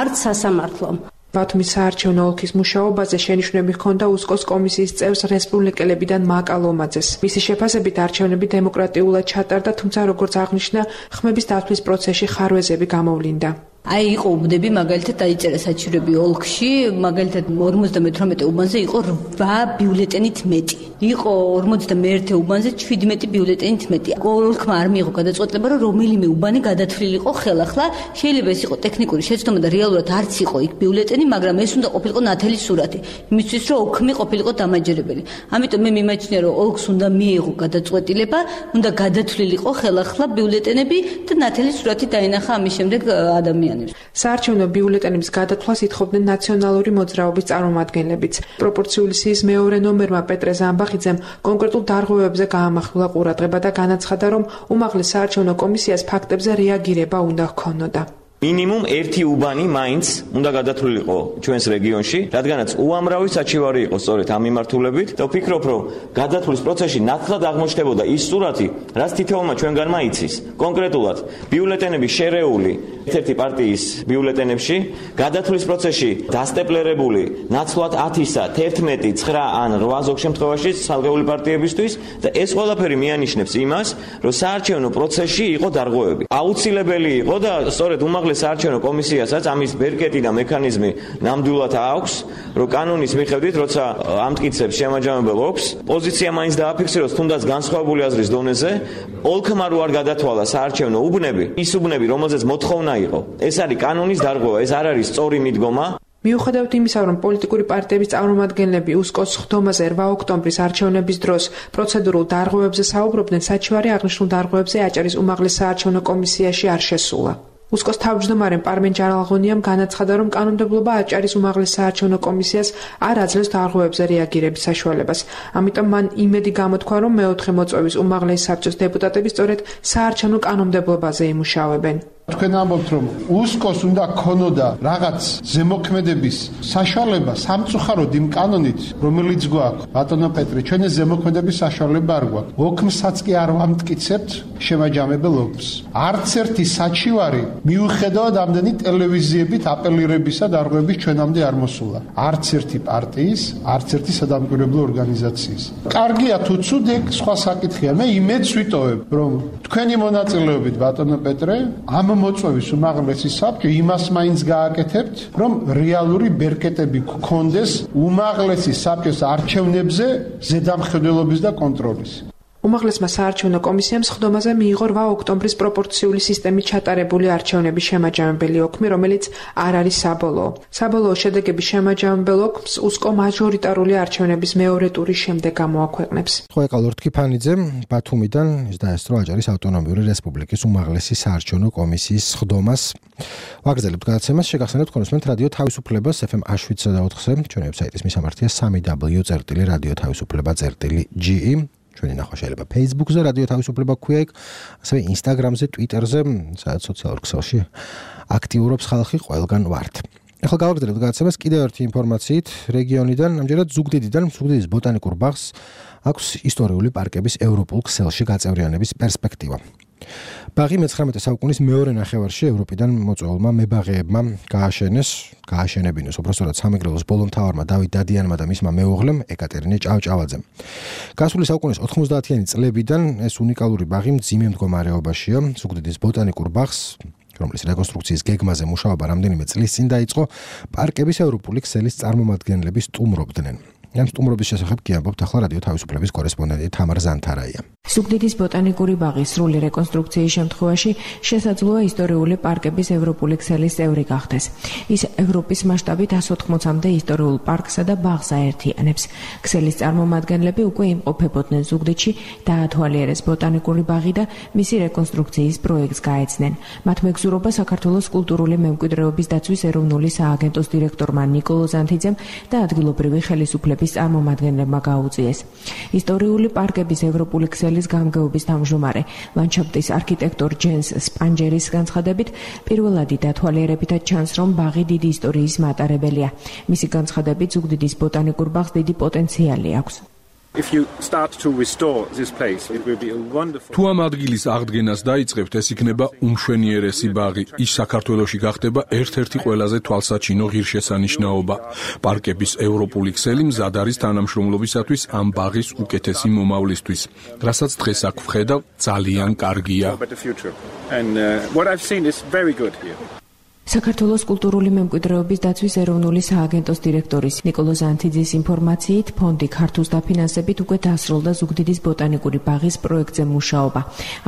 არც სასამართლომ. ბათუმის საარჩევნო ოლქის მუშაობაზე შენიშვნები ჰქონდა უსკოს კომისიის წევრს რესპუბლიკელებიდან მაკა ლომაძეს. მისი შეფასებით არჩევნები დემოკრატიულად ჩატარდა, თუმცა როგორც აღნიშნა, ხმების დათვლის პროცესში ხარვეზები გამოვლინდა. აი იყო უბნები, მაგალითად დაიწერა საჩივრები ოლქში, მაგალითად 58 უბანზე იყო 8 ბიულეტენით მეტი. იყო 51 უბანზე 17 ბიულეტენით მეტი. ოლქმა არ მიიღო გადაწყვეტილება, რომ რომელიმე უბანი გადათვლილიყო ხელახლა. შეიძლება ეს იყო ტექნიკური შეცდომა და რეალურად არც იყო იქ ბიულეტენი, მაგრამ ეს უნდა ყოფილიყო ნათელი სურათი. იმისთვის რომ ოქმი ყოფილიყო დამაჯერებელი. ამიტომ მე მიმაჩნია, რომ ოლქს უნდა მიიღო გადაწყვეტილება, უნდა გადათვლილიყო ხელახლა ბიულეტენები და ნათელი სურათი დაინახა ამის შემდეგ ადამიანებს. საარჩევნო ბიულეტენების გადათვლას ითხოვდნენ ნაციონალური მოძრაობის წარმომადგენლებიც. პროპორციული სიის მეორე ნომერმა პეტრე ზამბახიძემ კონკრეტულ დარღვევებზე გაამახვილა ყურადღება და განაცხადა, რომ უმაღლეს საარჩევნო კომისიას ფაქტებზე რეაგირება უნდა ჰქონოდა. მინიმუმ ერთი უბანი მაინც უნდა გადათვლილიყო ჩვენს რეგიონში, რადგანაც უამრავი საჩივარი იყო სწორედ ამ მიმართულებით და ვფიქრობ, რომ გადათვლის პროცესში ნათლად აღმოჩნდებოდა ის სურათი, რაც თითოეულმა ჩვენგანმა იცის. კონკრეტულად, ბიულეტენები შერეული ერთ-ერთი პარტიის ბიულეტენებში, გადათვლის პროცესში დასტეპლერებული ნაცვლად 10-ისა, 11, 9 ან 8 ზოგ შემთხვევაში ცალკეული პარტიებისთვის და ეს ყველაფერი მიანიშნებს იმას, რომ საარჩევნო პროცესში იყო დარღვევები. აუცილებელი იყო და სწორედ საარჩევნო კომისიასაც ამის ბერკეტი და მექანიზმი ნამდვილად აქვს, რომ კანონის მიხედვით, როცა ამტკიცებს შემაჯამებელ ოლქს, პოზიცია მაინც დააფიქსიროს თუნდაც განსხვავებული აზრის დონეზე, ოლქმა რო არ გადათვალა საარჩევნო უბნები, ის უბნები, რომელზეც მოთხოვნა იყო, ეს არის კანონის დარღვევა, ეს არ არის სწორი მიდგომა. მიუხედავად იმისა, რომ პოლიტიკური პარტიების წარმომადგენლები უსკოს ხდომაზე 8 ოქტომბრის არჩევნების დროს პროცედურულ დარღვევებზე საუბრობდნენ, საჩივარი აღნიშნულ დარღვევებზე აჭარის უმაღლეს საარჩევნო კომისიაში არ შესულა. უსკოს თავმჯდომარე პარმენ ჯარალღონიამ განაცხადა, რომ კანონმდებლობა აჭარის უმაღლეს საარჩევნო კომისიას არ აძლევს დარღვევებზე რეაგირების საშუალებას. ამიტომ მან იმედი გამოთქვა, რომ მეოთხე მოწვევის უმაღლეს საბჭოს დეპუტატები სწორედ საარჩევნო კანონმდებლობაზე იმუშავებენ. თქვენ ამბობთ, რომ უსკოს უნდა ქონოდა რაღაც ზემოქმედების საშუალება სამწუხაროდ იმ კანონით, რომელიც გვაქვს. ბატონო პეტრე, ჩვენ ეს ზემოქმედების საშუალება არ გვაქვს. ოქმსაც კი არ ვამტკიცებთ შემაჯამებელ ოქმს. არც ერთი საჩივარი მიუხედავად ამდენი ტელევიზიებით აპელირებისა დარღვევების ჩვენამდე არ მოსულა. არც ერთი პარტიის, არც ერთი სადამკვირვებლო ორგანიზაციის. კარგია თუ ცუდ, სხვა საკითხია. მე იმედს ვიტოვებ, რომ თქვენი მონაწილეობით, ბატონო პეტრე, ამ მოწვევის უმაღლესი საბჭო იმას მაინც გააკეთებთ, რომ რეალური ბერკეტები გქონდეს უმაღლესი საბჭოს არჩევნებზე ზედამხედველობის და კონტროლის. უმაღლესმა საარჩევნო კომისიამ ხდომაზე მიიღო 8 ოქტომბრის პროპორციული სისტემით ჩატარებული არჩევნების შემაჯამებელი ოქმი, რომელიც არ არის საბოლოო. საბოლოო შედეგების შემაჯამებელ ოქმს უსკო მაჟორიტარული არჩევნების მეორე ტურის შემდეგ გამოაქვეყნებს. ხო, ეკა ლორდ ქიფანიძე ბათუმიდან ის დაესწრო აჭარის ავტონომიური რესპუბლიკის უმაღლესი საარჩევნო კომისიის ხდომას. ვაგრძელებთ გადაცემას, შეგახსენებთ კონსულტანტ რადიო თავისუფლებას FM H7 და 4-ზე, ჩვენი ვებსაიტის მისამართია 3w.radio-თავისუფლება.ge. ჩვენი ნახვა შეიძლება Facebook-ზე, რადიო თავისუფლება ქვია იქ, ასევე Instagram-ზე, Twitter-ზე, სადაც სოციალურ ქსელში აქტიურობს ხალხი, ყველგან ვართ. ახლა გავაგრძელებთ გადაცემას კიდევ ერთი ინფორმაციით რეგიონიდან, ამჯერად ზუგდიდიდან, ზუგდიდის ბოტანიკურ ბაღს აქვს ისტორიული პარკების ევროპულ ქსელში გაწევრიანების პერსპექტივა. ბაღი მე-19 საუკუნის მეორე ნახევარში ევროპიდან მოწვეულმა მებაღეებმა გააშენებინეს, უბრალოდ სამეგრელოს ბოლომთავარმა დავით დადიანმა და მისმა მეუღლემ ეკატერინე ჭავჭავაძემ. გასული საუკუნის 90-იანი წლებიდან ეს უნიკალური ბაღი მძიმე მდგომარეობაშია. ზუგდიდის ბოტანიკურ ბაღს, რომლის რეკონსტრუქციის გეგმაზე მუშაობა რამდენიმე წლის წინ დაიწყო, პარკების ევროპული ქსელის წარმომადგენლები სტუმრობდნენ. ამ სტუმრობის შესახებ კი ამბობთ ახლა რადიო თავისუფლების კორესპონდენტი თამარ ზანთარაია. ზუგდიდის ბოტანიკური ბაღის სრული რეკონსტრუქციის შემთხვევაში შესაძლოა ისტორიული პარკების ევროპული ქსელის წევრი გახდეს. ის ევროპის მასშტაბით 180-მდე ისტორიულ პარკსა და ბაღს აერთიანებს. ქსელის წარმომადგენლები უკვე იმყოფებოდნენ ზუგდიდში, დაათვალიერეს ბოტანიკური ბაღი და მისი რეკონსტრუქციის პროექტს გაეცნენ. მათ მეგზურობა საქართველოს კულტურული მემკვიდრეობის დაცვის ეროვნული სააგენტოს დირექტორმა ნიკოლო ზანთიძემ და ადგილობრივი ხელისუფლების წარმომადგენლებმა გაუწიეს. ისტორიული პარკების ევროპული ქსელის გამგეობის თავმჯდომარე ლანდშაფტის არქიტექტორ ჯენს სპანჯერის განცხადებით, პირველადი დათვალიერებითაც ჩანს, რომ ბაღი დიდი ისტორიის მატარებელია. მისი განცხადებით, ზუგდიდის ბოტანიკურ ბაღს დიდი პოტენციალი აქვს. თუ ამ ადგილის აღდგენას დაიწყებთ, ეს იქნება უმშვენიერესი ბაღი. ის საქართველოში გახდება ერთ-ერთი ყველაზე თვალსაჩინო ღირსშესანიშნაობა. პარკების ევროპული ქსელი მზად არის თანამშრომლობისათვის ამ ბაღის უკეთესი მომავლისთვის. რასაც დღეს აქ ვხედავ, ძალიან კარგია. საქართველოს კულტურული მემკვიდრეობის დაცვის ეროვნული სააგენტოს დირექტორის ნიკოლო ზანთიძის ინფორმაციით, ფონდი ქართულს დაფინანსებით უკვე დასრულდა ზუგდიდის ბოტანიკური ბაღის პროექტზე მუშაობა.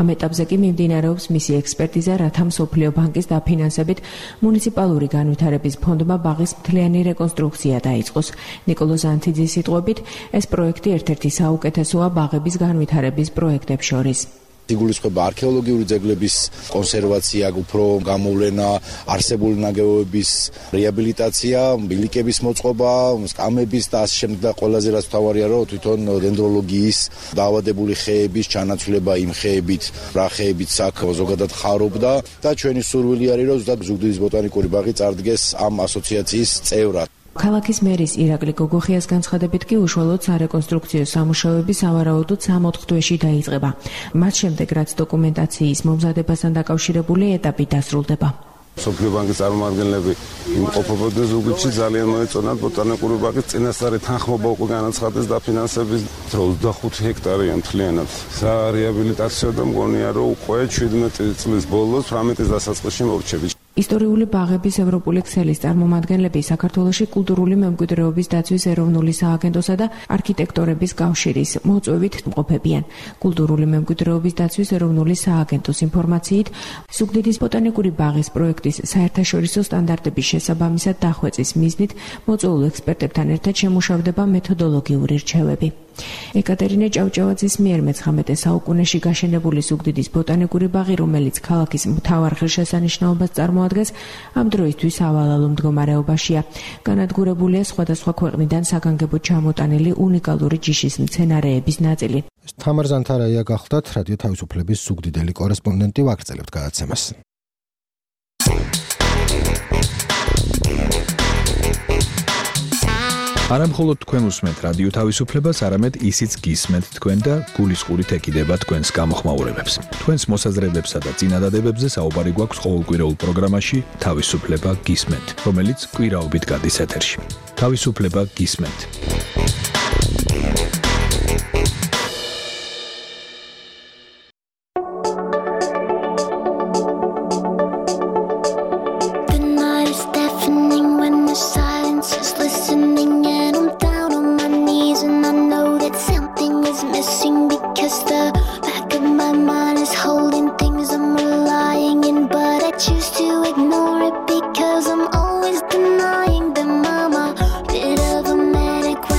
ამ ეტაპზე კი მიმდინარეობს მისი ექსპერტიზა, რათა მსოფლიო ბანკის დაფინანსებით მუნიციპალური განვითარების ფონდმა ბაღის მთლიანი რეკონსტრუქცია დაიწყოს. ნიკოლო ზანთიძის სიტყვებით, ეს პროექტი ერთ-ერთი საუკეთესოა ბაღების განვითარების პროექტებს შორის. იგულისხმება არქეოლოგიური ძეგლების კონსერვაცია, უფრო გამოვლენა, არსებული ნაგებობების რეაბილიტაცია, ბილიკების მოწყობა, სკამების და ასე შემდეგ და ყველაზე რაც მთავარია, რომ თვითონ დენდროლოგიის დაავადებული ხეების ჩანაცვლება იმ ხეებით, რა ხეებით საქმე ზოგადად ხარობდა და ჩვენი სურვილი არის, რომ ზუსტად ზუგდიდის ბოტანიკური ბაღი წარდგეს ამ ასოციაციის წევრად. ქალაქის მერის ირაკლი გოგოხიას განცხადებით კი უშუალოდ სარეკონსტრუქციო სამუშაოები სავარაუდოდ 3-4 თვეში დაიწყება. მათ შემდეგ რაც დოკუმენტაციის მომზადებასთან დაკავშირებული ეტაპი დასრულდება. მსოფლიო ბანკის წარმომადგენლები იმყოფებოდნენ ზუგდიდში, ძალიან მოეწონათ ბოტანიკური ბაღის წინასწარი თანხმობა უკვე განაცხადეს დაფინანსების 25 ჰექტარია მთლიანად. სარეაბილიტაციო და მგონია რომ უკვე 17 წლის ბოლოს 18-ის დასაწყისში მორჩებით. ისტორიული ბაღების ევროპული ქსელის წარმომადგენლები საქართველოში კულტურული მემკვიდრეობის დაცვის ეროვნული სააგენტოსა და არქიტექტორების კავშირის მოწვევით მყოფებიან. კულტურული მემკვიდრეობის დაცვის ეროვნული სააგენტოს ინფორმაციით, ზუგდიდის ბოტანიკური ბაღის პროექტის საერთაშორისო სტანდარტების შესაბამისად დახვეწის მიზნით მოწვეულ ექსპერტებთან ერთად შემუშავდება მეთოდოლოგიური რჩევები. ეკატერინე ჭავჭავაძის მიერ მე-19 საუკუნეში გაშენებული ზუგდიდის ბოტანიკური ბაღი, რომელიც ქალაქის მთავარ ღირსშესანიშნაობას წარმოადგენს, ამ დროისთვის ავალალო მდგომარეობაშია. განადგურებულია სხვადასხვა ქვეყნიდან საგანგებოდ ჩამოტანილი უნიკალური ჯიშის მცენარეების ნაწილი. თამარ ზანთარაია გახლდათ რადიო თავისუფლების ზუგდიდელი კორესპონდენტი, ვაგრძელებთ გადაცემას. არა მხოლოდ თქვენ უსმენთ რადიო თავისუფლებას, არამედ ისიც გისმენთ თქვენ და გულისყურით ეკიდება თქვენს გამოხმაურებებს. თქვენს მოსაზრებებსა და წინადადებებზე საუბარი გვაქვს ყოველკვირეულ პროგრამაში თავისუფლება გისმენთ, რომელიც კვირაობით გადის ეთერში. თავისუფლება გისმენთ. Ignore it because I'm always denying them. I'm a bit of a manic.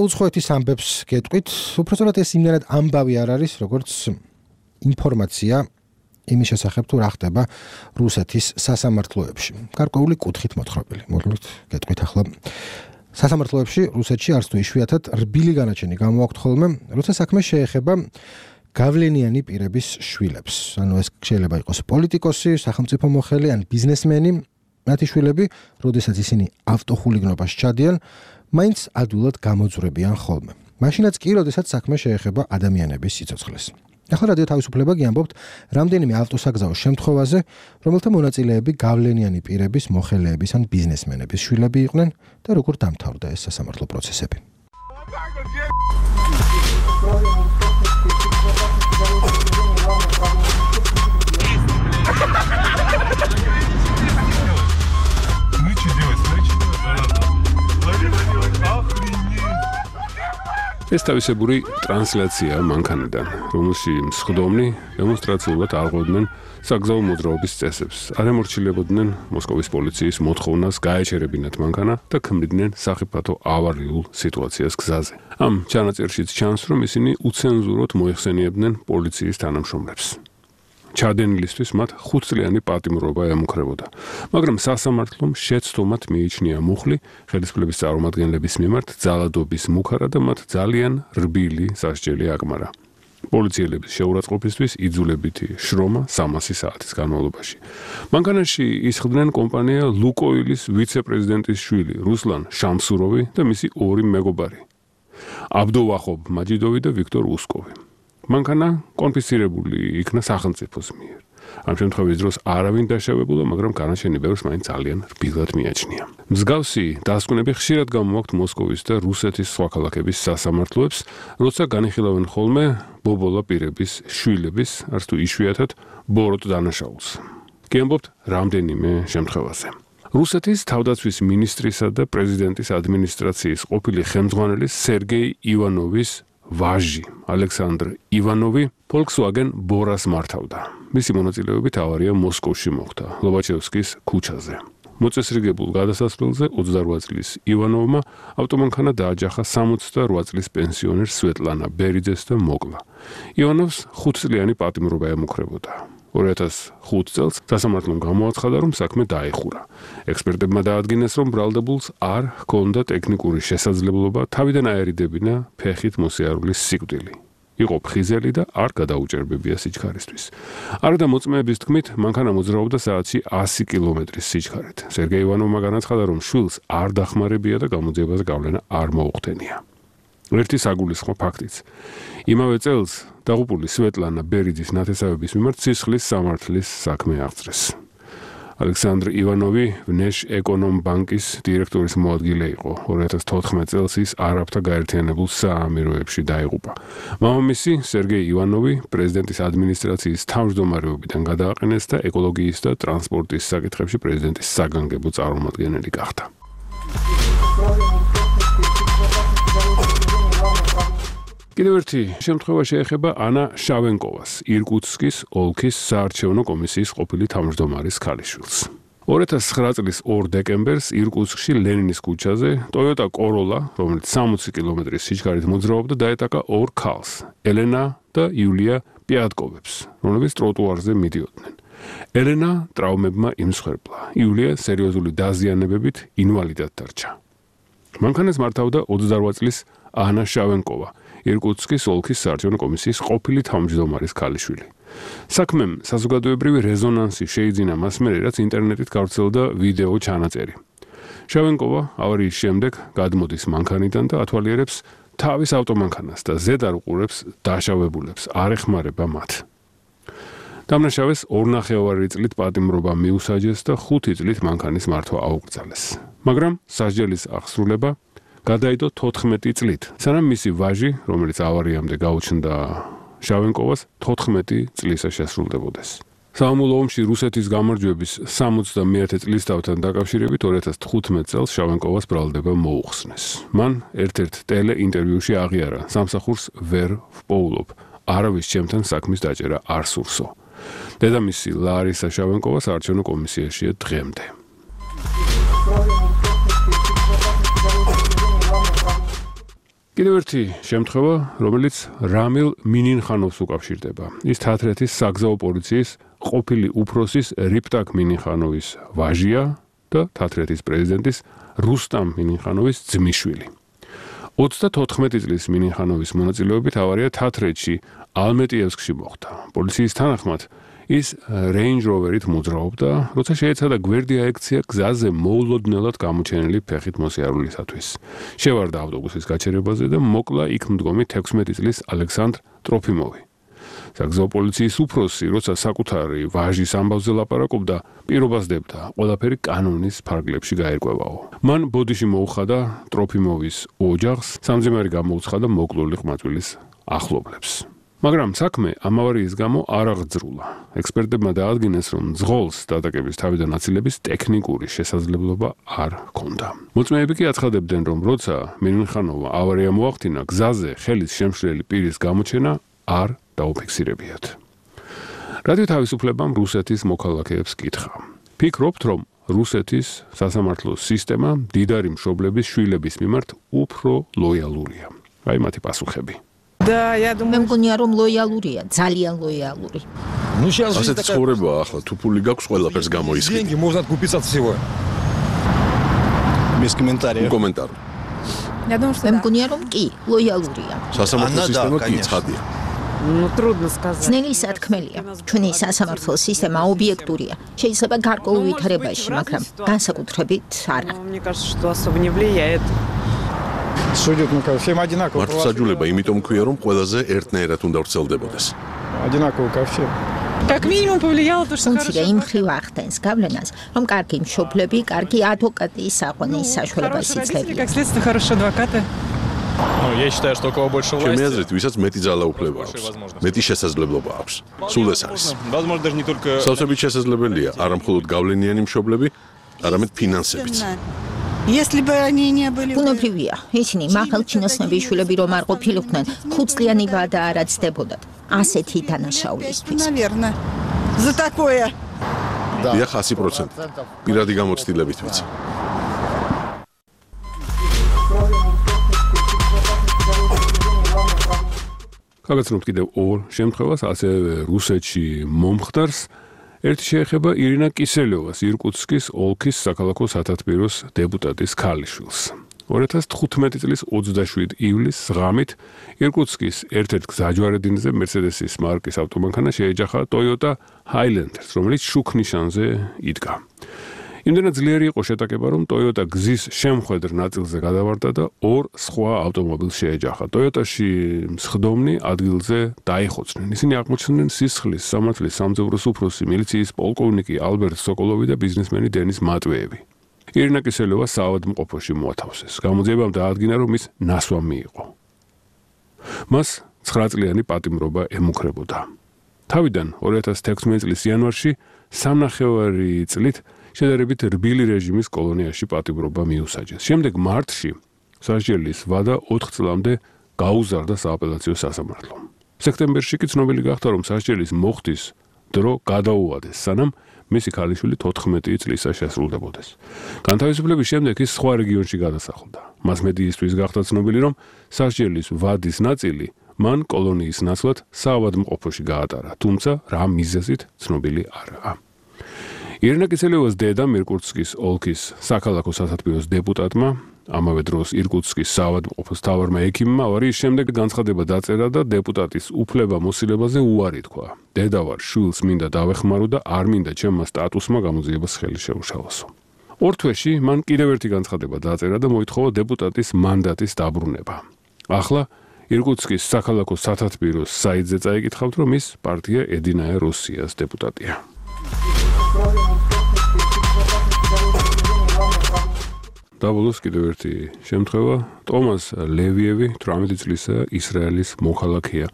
უცხოეთის ამბებს გეტყვით, უпростоრად ეს იმდენად ამბავი არ არის, როგორც ინფორმაცია იმის შესახებ თუ რა ხდება რუსეთის სასამართლოებში. გარკვეული კუთხით მოთხრობილი. მოდით გეტყვით ახლა. სასამართლოებში რუსეთში არც თუ იშვიათად რბილი განაჩენი გამოაქვთ ხოლმე, როცა საქმე შეეხება გავლენიანი პირების შვილებს. ანუ ეს შეიძლება იყოს პოლიტიკოსი, სახელმწიფო მოხელე ან ბიზნესმენი, მათი შვილები, როდესაც ისინი ავტოხულიგნობას ჩადიან, მაინც ადვილად გამოძვრებიან ხოლმე. მაშინაც კი, როდესაც საქმე შეეხება ადამიანების სიცოცხლეს. ახლა რადიო თავისუფლება გიამბობთ რამდენიმე ავტოსაგზაო შემთხვევაზე, რომელთა მონაწილეები გავლენიანი პირების, მოხელეების ან ბიზნესმენების შვილები იყვნენ და როგორ დამთავრდა ეს სასამართლო პროცესები. ეს თავისებური ტრანსლაცია მანქანიდან, რომელში მსხდომნი დემონსტრაციულად არღვევდნენ საგზაო მოძრაობის წესებს, არ ემორჩილებოდნენ მოსკოვის პოლიციის მოთხოვნას გაეჩერებინათ მანქანა და ქმნიდნენ სახიფათო ავარიულ სიტუაციას გზაზე. ამ ჩანაწერშიც ჩანს, რომ ისინი უცენზუროდ მოიხსენიებდნენ პოლიციის თანამშრომლებს. ჩადენილისთვის მათ 5 წლიანი პატიმრობა ემუქრებოდა, მაგრამ სასამართლომ შეცდომად მიიჩნია მუხლი ხელისუფლების წარმომადგენლების მიმართ ძალადობის მუქარა და მათ ძალიან რბილი სასჯელი აკმარა. პოლიციელების შეურაცხყოფისთვის იძულებითი შრომა 300 საათის განმავლობაში. მანქანაში ისხდნენ კომპანია ლუკოილის ვიცე-პრეზიდენტის შვილი რუსლან შამსუროვი და მისი 2 მეგობარი აბდოვახობ მაჯიდოვი და ვიქტორ უსკოვი. მანქანა კონფისკირებული იქნა სახელმწიფოს მიერ. ამ შემთხვევის დროს არავინ დაშავებულა, მაგრამ განაჩენი ბევრს მაინც ძალიან რბილად მიაჩნია. მსგავსი დასკვნები ხშირად გამოაქვთ მოსკოვის და რუსეთის სხვა ქალაქების სასამართლოებს, როცა განიხილავენ ხოლმე ბობოლა პირების შვილების, არც თუ იშვიათად ბოროტ დანაშაულს. გიამბობთ რამდენიმე შემთხვევაზე. რუსეთის თავდაცვის მინისტრისა და პრეზიდენტის ადმინისტრაციის ყოფილი ხელმძღვანელი სერგეი ივანოვის ვაჟი ალექსანდრ ივანოვი Volkswagen ბორას მართავდა. მისი მონაწილეობით ავარია მოსკოვში მოხდა, ლობაჩევსკის ქუჩაზე. მოწესრიგებულ გადასასვლელზე 28 წლის ივანოვმა ავტომანქანა დააჯახა 68 წლის პენსიონერ სვეტლანა ბერიძეს და მოკლა. ივანოვს 5 წლიანი პატიმრობა ემუქრებოდა. 2005 წელს სასამართლომ გამოაცხადა, რომ საქმე დაეხურა. ექსპერტებმა დაადგინეს, რომ ბრალდებულს არ ჰქონდა ტექნიკური შესაძლებლობა თავიდან აერიდებინა ფეხით მოსიარულის სიკვდილი. იყო ფხიზელი და არ გადაუჭერბებია სიჩქარისთვის. არადა მოწმეების თქმით, მანქანა მოძრაობდა საათში 100 კილომეტრის სიჩქარით. სერგეი ივანოვმა განაცხადა, რომ შვილს არ დახმარებია და გამოძიებას გავლენა არ მოუხდენია. ერთი საგულისხმო ფაქტიც. იმავე წელს დაღუპული სვეტლანა ბერიძის ნათესავების მიმართ სისხლის სამართლის საქმე აღწრეს. ალექსანდრ ივანოვი ვნეშ ეკონომ ბანკის დირექტორის მოადგილე იყო. 2014 წელს ის არაბთა გაერთიანებულ საამიროებში დაიღუპა. მამამისი სერგეი ივანოვი პრეზიდენტის ადმინისტრაციის თავმჯდომარეობიდან გადააყენეს და ეკოლოგიის და ტრანსპორტის საკითხებში პრეზიდენტის საგანგებო წარმომადგენელი გახდა. კიდევ ერთი შემთხვევა შეეხება ანა შავენკოვას, ირკუტსკის ოლქის საარჩევნო კომისიის ყოფილი თავმჯდომარის ქალიშვილს. 2009 წლის 2 დეკემბერს ირკუტსკში ლენინის ქუჩაზე Toyota Corolla, რომელიც 60 კილომეტრის სიჩქარით მოძრაობდა, დაეტაკა 2 ქალს, ელენა და იულია პიატკოვებს, რომლებიც ტროტუარზე მიდიოდნენ. ელენა ტრავმებმა იმსხვერპლა, იულია სერიოზული დაზიანებებით ინვალიდად დარჩა. მანქანას მართავდა 28 წლის ანა შავენკოვა, ირკუტსკის ოლქის საარჩევნო კომისიის ყოფილი თავმჯდომარის ქალიშვილი. საქმემ საზოგადოებრივი რეზონანსი შეიძინა მას მერე, რაც ინტერნეტით გავრცელდა ვიდეო ჩანაწერი. შავენკოვა ავარიის შემდეგ გადმოდის მანქანიდან და ათვალიერებს თავის ავტომანქანას და ზედ არ უყურებს დაშავებულებს, არ ეხმარება მათ. დამნაშავეს 2,5 წლით პატიმრობა მიუსაჯეს და 5 წლით მანქანის მართვა აუკრძალეს. მაგრამ სასჯელის აღსრულება გადაიდო 14 წლით, სანამ მისი ვაჟი, რომელიც ავარიამდე გაუჩნდა შავენკოვას, 14 წლისა შესრულდებოდეს. საამულო ომში რუსეთის გამარჯვების 71 წლისთავთან დაკავშირებით 2015 წელს შავენკოვას ბრალდება მოუხსნეს. მან ერთ-ერთ ტელეინტერვიუში აღიარა, სამსახურს ვერ ვპოულობ, არავის ჩემთან საქმის დაჭერა არ სურსო. დედამისი ლარისა შავენკოვა საარჩევნო კომისიაშია დღემდე. კიდევ ერთი შემთხვევა, რომელიც რამილ მინინხანოვს უკავშირდება. ის თათრეთის საგზაო პოლიციის ყოფილი უფროსის რიპტაკ მინინხანოვის ვაჟია და თათრეთის პრეზიდენტის რუსტამ მინინხანოვის ძმისშვილი. 34 წლის მინინხანოვის მონაწილეობით ავარია თათრეთში ალმეტიევსკში მოხდა. პოლიციის თანახმად ის Range Rover-ით მოძრაობდა, როცა შეეცადა გვერდი აექცია გზაზე მოულოდნელად გამოჩენილი ფეხით მოსიარულისათვის. შევარდა ავტობუსის გაჩერებაზე და მოკლა იქ მდგომი 16 წლის ალექსანდრ ტროფიმოვი. საგზაო პოლიციის უფროსი, როცა საკუთარი ვაჟის ამბავზე ლაპარაკობდა, პირობას დებდა, ყველაფერი კანონის ფარგლებში გაერკვევაო. მან ბოდიში მოუხადა ტროფიმოვის ოჯახს, სამძიმარი გამოუცხადა მოკლული ყმაწვილის ახლობლებს. მაგრამ საქმე ამ ავარიის გამო არ აღძრულა. ექსპერტებმა დაადგინეს, რომ ძღოლს დატაკების თავიდან აცილების ტექნიკური შესაძლებლობა არ ჰქონდა. მოწმეები კი აცხადებდნენ, რომ როცა მინინხანოვმა ავარია მოახდინა, გზაზე ხელის შემშლელი პირის გამოჩენა არ დაუფიქსირებიათ. რადიო თავისუფლებამ რუსეთის მოქალაქეებს კითხა. ფიქრობთ, რომ რუსეთის სასამართლო სისტემა მდიდარი მშობლების შვილების მიმართ უფრო ლოიალურია? აი მათი პასუხები. მე მგონია რომ ლოიალურია, ძალიან ლოიალური. ასეთი ცხოვრებაა ახლა, თუ ფული გაქვს ყველაფერს გამოისხი. კომენტარი. მე მგონია რომ კი, ლოიალურია. სასამართლო სისტემა კი ცხადია. ძნელი სათქმელია. ჩვენი სასამართლო სისტემა ობიექტურია. შეიძლება გარკვეულ ვითარებაში, მაგრამ განსაკუთრებით არა. მართლმსაჯულება იმიტომ ქვია, რომ ყველაზე ერთნაირად უნდა ვრცელდებოდეს. უმცირე იმ მხრივ ახდენს გავლენას, რომ კარგი მშობლები, კარგი ადვოკატის საყვანის საშუალებას იძლევიან. ჩემი აზრით, ვისაც მეტი ძალაუფლება აქვს, მეტი შესაძლებლობა აქვს. სულ ეს არის. სავსებით შესაძლებელია არა მხოლოდ გავლენიანი მშობლები, არამედ ფინანსებიც. ბუნებრივია, ისინი მაღალჩინოსნების შვილები რომ არ ყოფილიყვნენ, 5 წლიანი ვადა არ აცდებოდათ. ასეთი დანაშაულისთვის. დიახ, 100%. პირადი გამოცდილებით ვიცი. გაგაცნობთ კიდევ ორ შემთხვევას, ასევე რუსეთში მომხდარს. ერთი შეეხება ირინა კისელევას, ირკუტსკის ოლქის საქალაქო სათათბიროს დეპუტატის ქალიშვილს. 2015 წლის 27 ივლისს ღამით ირკუტსკის ერთ-ერთ გზაჯვარედინზე Mercedes-ის მარკის ავტომანქანა შეეჯახა Toyota Highlander-ს, რომელიც შუქნიშანზე იდგა. იმდენად ძლიერი იყო შეტაკება, რომ Toyota გზის შემხედრ ნაწილზე გადავარდა და ორ სხვა ავტომობილს შეეჯახა. Toyota-ში მსხდომნი ადგილზე დაიხოცნენ. ისინი აღმოჩნდნენ სისხლის სამართლის სამძევროს უფროსი, მილიციის პოლკოვნიკი ალბერტ სოკოლოვი და ბიზნესმენი დენის მატვეევი. ირინა კისელევა საავადმყოფოში მოათავსეს. გამოძიებამ დაადგინა, რომ ის ნასვამი იყო. მას 9 წლიანი პატიმრობა ემუქრებოდა. თავიდან 2016 წლის იანვარში 3.5 წლით შედარებით რბილი რეჟიმის კოლონიაში პატიმრობა მიუსაჯეს. შემდეგ მარტში სასჯელის ვადა 4 წლამდე გაუზარდა სააპელაციო სასამართლომ. სექტემბერში კი ცნობილი გახდა, რომ სასჯელის მოხდის დრო გადაუადეს, სანამ მისი ქალიშვილი 14 წლისა შესრულდებოდეს. განთავისუფლების შემდეგ ის სხვა რეგიონში გადასახლდა. მას მედიისთვის გახდა ცნობილი, რომ სასჯელის ვადის ნაწილი მან კოლონიის ნაცვლად საავადმყოფოში გაატარა, თუმცა რა მიზეზით ცნობილი არაა. ირინა კისელევას დედა ირკუტსკის ოლქის საქალაქო სათათბიროს დეპუტატმა, ამავე დროს ირკუტსკის საავადმყოფოს მთავარმა ექიმმა ავარიის შემდეგ განცხადება დაწერა და დეპუტატის უფლება-მოსილებაზე უარი თქვა. დედა ვარ, შვილს მინდა დავეხმარო და არ მინდა ჩემმა სტატუსმა გამოძიებას ხელი შეუშალოსო. ორ თვეში მან კიდევ ერთი განცხადება დაწერა და მოითხოვა დეპუტატის მანდატის დაბრუნება. ახლა ირკუტსკის საქალაქო სათათბიროს საიტზე წაიკითხავთ, რომ ის პარტია ედინაე როსიას დეპუტატია. დაბოლოს კიდევ ერთი შემთხვევა. ტომას ლევიევი 18 წლისა ისრაელის მოქალაქეა.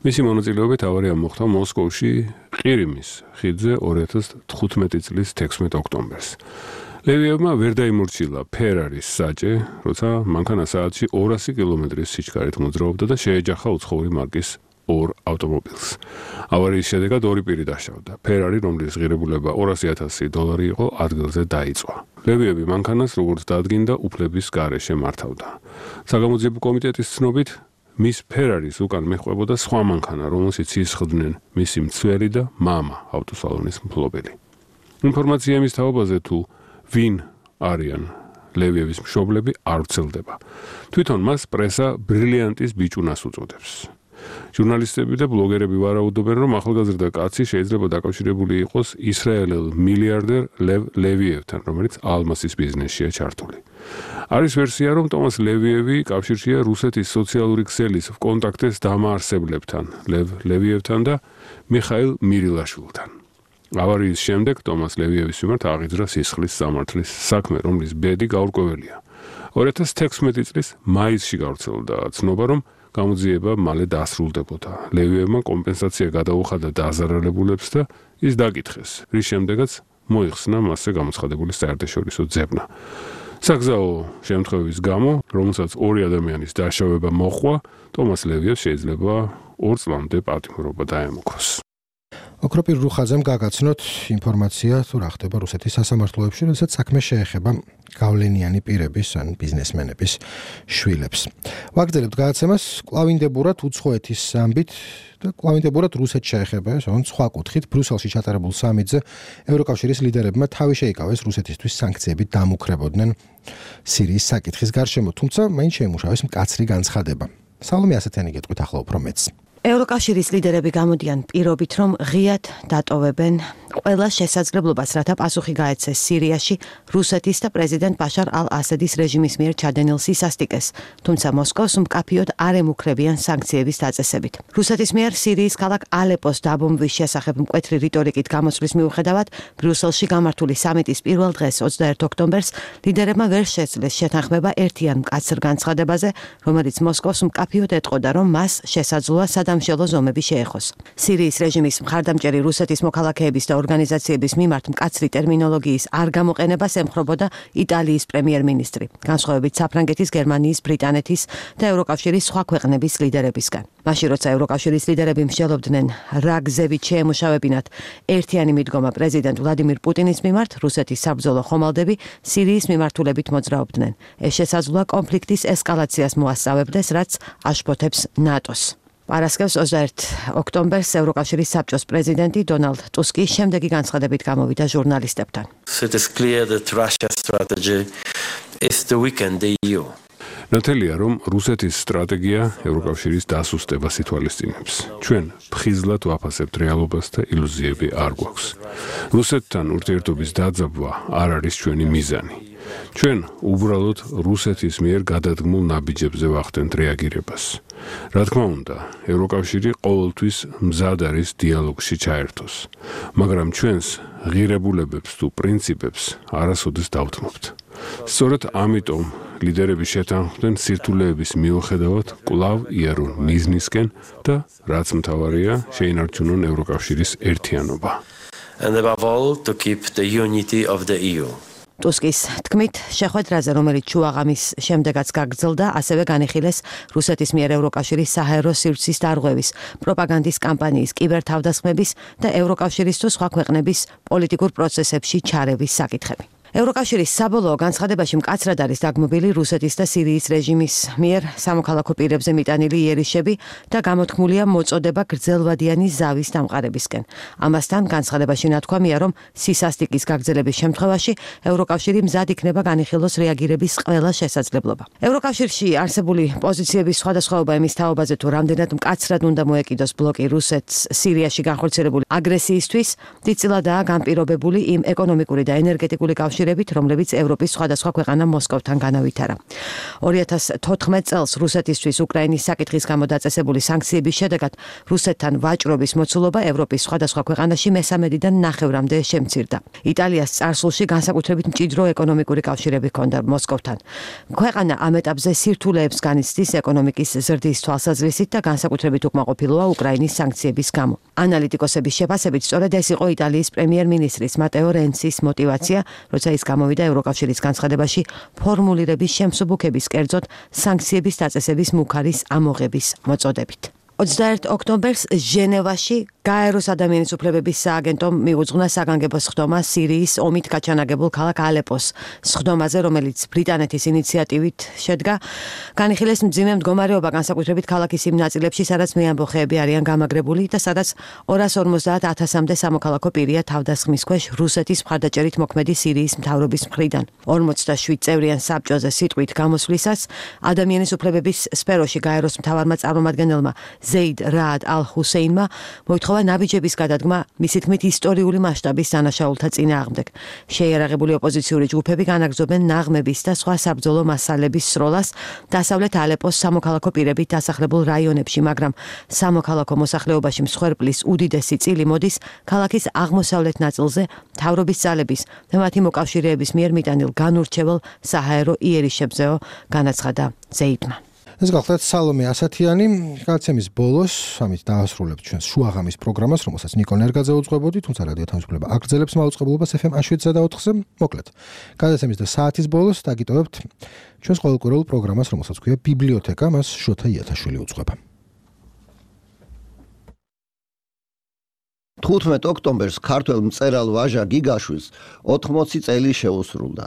მისი მონაწილეობით ავარია მოხდა მოსკოვში ყირიმის ხიდზე 2015 წლის 16 ოქტომბერს. ლევიევმა ვერ დაიმორჩილა ფერარის საჭე, როცა მანქანა საათში 200 კილომეტრის სიჩქარით მოძრაობდა და შეეჯახა უცხოური მარკის ორ ავტომობილს. ავარიის შედეგად ორი პირი დაშავდა. ფერარი, რომლის ღირებულება $200,000 იყო, ადგილზე დაიწვა. ლევიევი მანქანას როგორც დადგინდა უფლების გარეშე მართავდა. საგამოძიებო კომიტეტის ცნობით მის ფერარის უკან მეხვებოდა სხვა მანქანა, რომელშიც ისხდნენ მისი მცველი და მამა, ავტოსალონის მფლობელი. ინფორმაცია იმის თაობაზე თუ ვინ არიან ლევიევის მშობლები არ ვრცელდება. თვითონ მას პრესა ბრილიანტის ბიჭუნას უწოდებს. ჟურნალისტები და ბლოგერები ვარაუდობენ, რომ ახალგაზრდა კაცი შეიძლება დაკავშირებული იყოს ისრაელელ მილიარდერ ლევ ლევიევთან, რომელიც ალმასის ბიზნესშია ჩართული. არის ვერსია, რომ ტომას ლევიევი კავშირშია რუსეთის სოციალური ქსელის კონტაქტეს დამაარსებლებთან, ლევ ლევიევთან და მიხაილ მირილაშვილთან. ავარიის შემდეგ ტომას ლევიევის მიმართ აღიძრა სისხლის სამართლის საქმე, რომლის ბედი გაურკვეველია. 2016 წლის მაისში გავრცელდა ცნობა, რომ გამოძიება მალე დასრულდებოდა. ლევიევმა კომპენსაცია გადაუხადა დაზარალებულებს და ის დაკითხეს, რის შემდეგაც მოიხსნა მასზე გამოცხადებული საერთაშორისო ძებნა. საგზაო შემთხვევის გამო, რომელსაც ორი ადამიანის დაშავება მოჰყვა, ტომას ლევიევს შეიძლება 2 წლამდე პატიმრობა დაემუქროს. ოქროპირ რუხაძემ გაგაცნოთ ინფორმაცია თუ რა ხდება რუსეთის სასამართლოებში, როდესაც საქმე შეეხება გავლენიანი პირების ან ბიზნესმენების შვილებს. ვაგრძელებთ გადაცემას კლავინდებურად უცხოეთის ამბით და კლავინდებურად რუსეთს შეეხება, ან სხვა კუთხით ბრიუსელში ჩატარებულ სამიტზე ევროკავშირის ლიდერებმა თავი შეიკავეს რუსეთისთვის სანქციებით დამუქრებოდნენ სირიის საკითხის გარშემო, თუმცა მაინც შეიმუშავეს მკაცრი განცხადება. სალომე ასეთიანი გეტყვით ახლა უფრო მეც. ევროკავშირის ლიდერები გამოდიან პირობით, რომ ღიად დატოვებენ ყველა შესაძლებლობას, რათა პასუხი გაეცეს სირიაში რუსეთის და პრეზიდენტ ბაშარ ალ-ასადის რეჟიმის მიერ ჩადენილ სისასტიკეს, თუმცა მოსკოვს მკაფიოდ არ ემუქრებიან სანქციების დაწესებით. რუსეთის მიერ სირიის ქალაქ ალეპოს დაბომბვის შესახებ მკვეთრი რიტორიკით გამოსვლის მიუხედავად, ბრიუსელში გამართული სამიტის პირველ დღეს 21 ოქტომბერს ლიდერებმა ვერ შეძლეს შეთანხმება ერთიან მკაცრ განცხადებაზე, რომელიც მოსკოვს მკაფიოდ ეტყოდა, რომ მას შესაძლოა სადამშელო ზომები შეეხოს. სირიის რეჟიმის მხარდამჭერი რუსეთის მოქალაქეების და ორგანიზაციების მიმართ მკაცრი ტერმინოლოგიის არ გამოყენებას ემხრობოდა იტალიის პრემიერ-მინისტრი, განსხვავებით საფრანგეთის, გერმანიის, ბრიტანეთის და ევროკავშირის სხვა ქვეყნების ლიდერებისგან. მაშინ როცა ევროკავშირის ლიდერები მსჯელობდნენ რა გზებით შეემუშავებინათ ერთიანი მიდგომა პრეზიდენტ ვლადიმირ პუტინის მიმართ, რუსეთის საბრძოლო ხომალდები სირიის მიმართულებით მოძრაობდნენ. ეს შესაძლოა კონფლიქტის ესკალაციას მოასწავებდეს, რაც აშფოთებს ნატოს. პარასკევს 21 ოქტომბერს ევროკავშირის საბჭოს პრეზიდენტი დონალდ ტუსკი შემდეგი განცხადებით გამოვიდა ჟურნალისტებთან. ნათელია, რომ რუსეთის სტრატეგია ევროკავშირის დასუსტებას ითვალისწინებს. ჩვენ ფხიზლად ვაფასებთ რეალობას და ილუზიები არ გვაქვს. რუსეთთან ურთიერთობის დაძაბვა არ არის ჩვენი მიზანი. ჩვენ უბრალოდ რუსეთის მიერ გადადგმულ ნაბიჯებზე ვახდენთ რეაგირებას. რა თქმა უნდა, ევროკავშირი ყოველთვის მზად არის დიალოგში ჩაერთოს, მაგრამ ჩვენს ღირებულებებს თუ პრინციპებს არასოდეს დავთმობთ. სწორედ ამიტომ ლიდერები შეთანხმდნენ სირთულეების მიუხედავად კვლავ იარონ მიზნისკენ და რაც მთავარია, შეინარჩუნონ ევროკავშირის ერთიანობა. And above all, to keep the unity of the EU. ტუსკის თქმით, შეხვედრაზე, რომელიც შუაღამის შემდეგაც გაგრძელდა, ასევე განიხილეს რუსეთის მიერ ევროკავშირის საჰაერო სივრცის დარღვევის, პროპაგანდის კამპანიის, კიბერთავდასხმების და ევროკავშირის თუ სხვა ქვეყნების პოლიტიკურ პროცესებში ჩარევის საკითხები. ევროკავშირის საბოლოო განცხადებაში მკაცრად არის დაგმობილი რუსეთის და სირიის რეჟიმის მიერ სამოქალაქო პირებზე მიტანილი იერიშები და გამოთქმულია მოწოდება გრძელვადიანი ზავის დამყარებისკენ. ამასთან განცხადებაში ნათქვამია, რომ სისასტიკის გაგრძელების შემთხვევაში ევროკავშირი მზად იქნება განიხილოს რეაგირების ყველა შესაძლებლობა. ევროკავშირში არსებული პოზიციების სხვადასხვაობა იმის თაობაზე, თუ რამდენად მკაცრად უნდა მოეკიდოს ბლოკი რუსეთს სირიაში განხორციელებული აგრესიისთვის, დიდწილადაა განპირობებული იმ ეკონომიკური და ენერგეტიკული კავშირებით, რომლებიც ევროპის სხვადასხვა ქვეყანა მოსკოვთან განავითარა. 2014 წელს რუსეთისთვის უკრაინის საკითხის გამო დაწესებული სანქციების შედეგად რუსეთთან ვაჭრობის მოცულობა ევროპის სხვადასხვა ქვეყანაში მესამედიდან ნახევრამდე შემცირდა. იტალიას წარსულში განსაკუთრებით მჭიდრო ეკონომიკური კავშირები ჰქონდა მოსკოვთან. ქვეყანა ამ ეტაპზე სირთულეებს განიცდის ეკონომიკის ზრდის თვალსაზრისით და განსაკუთრებით უკმაყოფილოა უკრაინის სანქციების გამო. ანალიტიკოსების შეფასებით, სწორედ ეს იყო იტალიის პრემიერ-მინისტრის მატეო რენცის мотиваცია, როცა ის გამოვიდა ევროკავშირის განცხადებაში ფორმულირების შემსუბუქების, კერძოდ სანქციების დაწესების მუქარის ამოღების მოწოდებით. 21 ოქტომბერს ჟენევაში გაეროს ადამიანის უფლებების სააგენტომ მიუძღვნა საგანგებო სხდომა სირიის ომით გაჩანაგებულ ქალაქ ალეპოს სხდომაზე, რომელიც ბრიტანეთის ინიციატივით შედგა. განიხილეს მძიმე მდგომარეობა განსაკუთრებით ქალაქის იმ ნაწილებში, სადაც მეამბოხეები არიან გამაგრებული და სადაც 250,000-მდე სამოქალაქო პირია თავდასხმის ქვეშ რუსეთის მხარდაჭერით მოქმედი სირიის მთავრობის მხრიდან. 47 წევრიან საბჭოზე სიტყვით გამოსვლისას ადამიანის უფლებების სფეროში გაეროს მთავარმა წარმომადგენელმა ზეიდ რაად ალ-ჰუსეინმა მოითხოვა ნაბიჯების გადადგმა მისი თქმით ისტორიული მასშტაბის დანაშაულთა წინააღმდეგ. შეიარაღებული ოპოზიციური ჯგუფები განაგრძობენ ნაღმების და სხვა საბრძოლო მასალების სროლას დასავლეთ ალეპოს სამოქალაქო პირებით დასახლებულ რაიონებში, მაგრამ სამოქალაქო მოსახლეობაში მსხვერპლის უდიდესი წილი მოდის ქალაქის აღმოსავლეთ ნაწილზე მთავრობის ძალების და მათი მოკავშირეების მიერ მიტანილ განურჩევალ საჰაერო იერიშებზე, განაცხადა ზეიდმა. ეს გახლავთ სალომე ასათიანი. გადაცემის ბოლოს ამით დაასრულებთ ჩვენს შუაღამის პროგრამას, რომელსაც ნიკო ნერგაძე უძღვებოდი, თუმცა რადიო თავისუფლება აგრძელებს მაუწყებლობას FM 7-სა და 4-ზე. მოკლედ, გადაცემის და საათის ბოლოს დაგიტოვებთ ჩვენს ყოველკვირეულ პროგრამას, რომელსაც ქვია ბიბლიოთეკა, მას შოთა იათაშვილი უძღვება. 15 ოქტომბერს ქართველ მწერალ ვაჟა გიგაშვილს 80 წელი შეუსრულდა.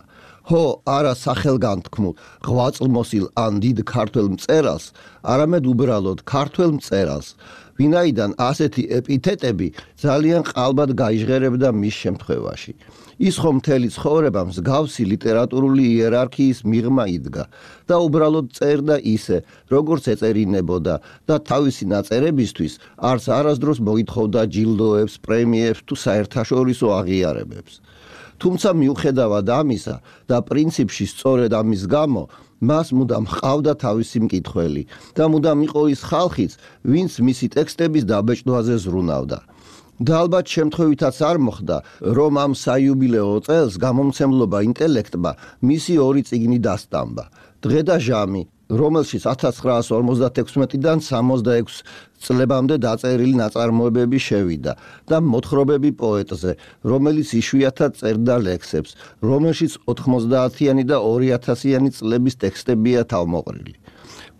Ho არა სახელგანთქმულ ღვაწლმოსილ ან დიდ ქართველ მწერალს, არამედ უბრალოდ ქართველ მწერალს, ვინაიდან ასეთი ეპითეტები ძალიან ყალბად გაიჟღერებდა მის შემთხვევაში. ის ხომ მთელი ცხოვრება მსგავსი ლიტერატურული იერარქიის მიღმა იდგა და უბრალოდ წერდა ისე, როგორც ეწერინებოდა და თავისი ნაწერებისთვის არც არასდროს მოითხოვდა ჯილდოებს, პრემიებს თუ საერთაშორისო აღიარებებს. თუმცა მიუხედავად ამისა და პრინციპში სწორედ ამის გამო მას მუდამ ჰყავდა თავისი მკითხველი და მუდამ იყო ის ხალხიც, ვინც მისი ტექსტების დაბეჭდვაზე ზრუნავდა. და ალბათ შემთხვევითაც არ მოხდა, რომ ამ საიუბილეო წელს გამომცემლობა ინტელექტმა მისი 2 წიგნი დასტამბა. დღე და ჟამი, რომელშიც 1956-დან 66 წლებამდე დაწერილი ნაწარმოებები შევიდა და მოთხრობები პოეტზე, რომელიც იშვიათად წერდა ლექსებს, რომელშიც 90-იანი და 2000-იანი წლების ტექსტებია თავმოყრილი.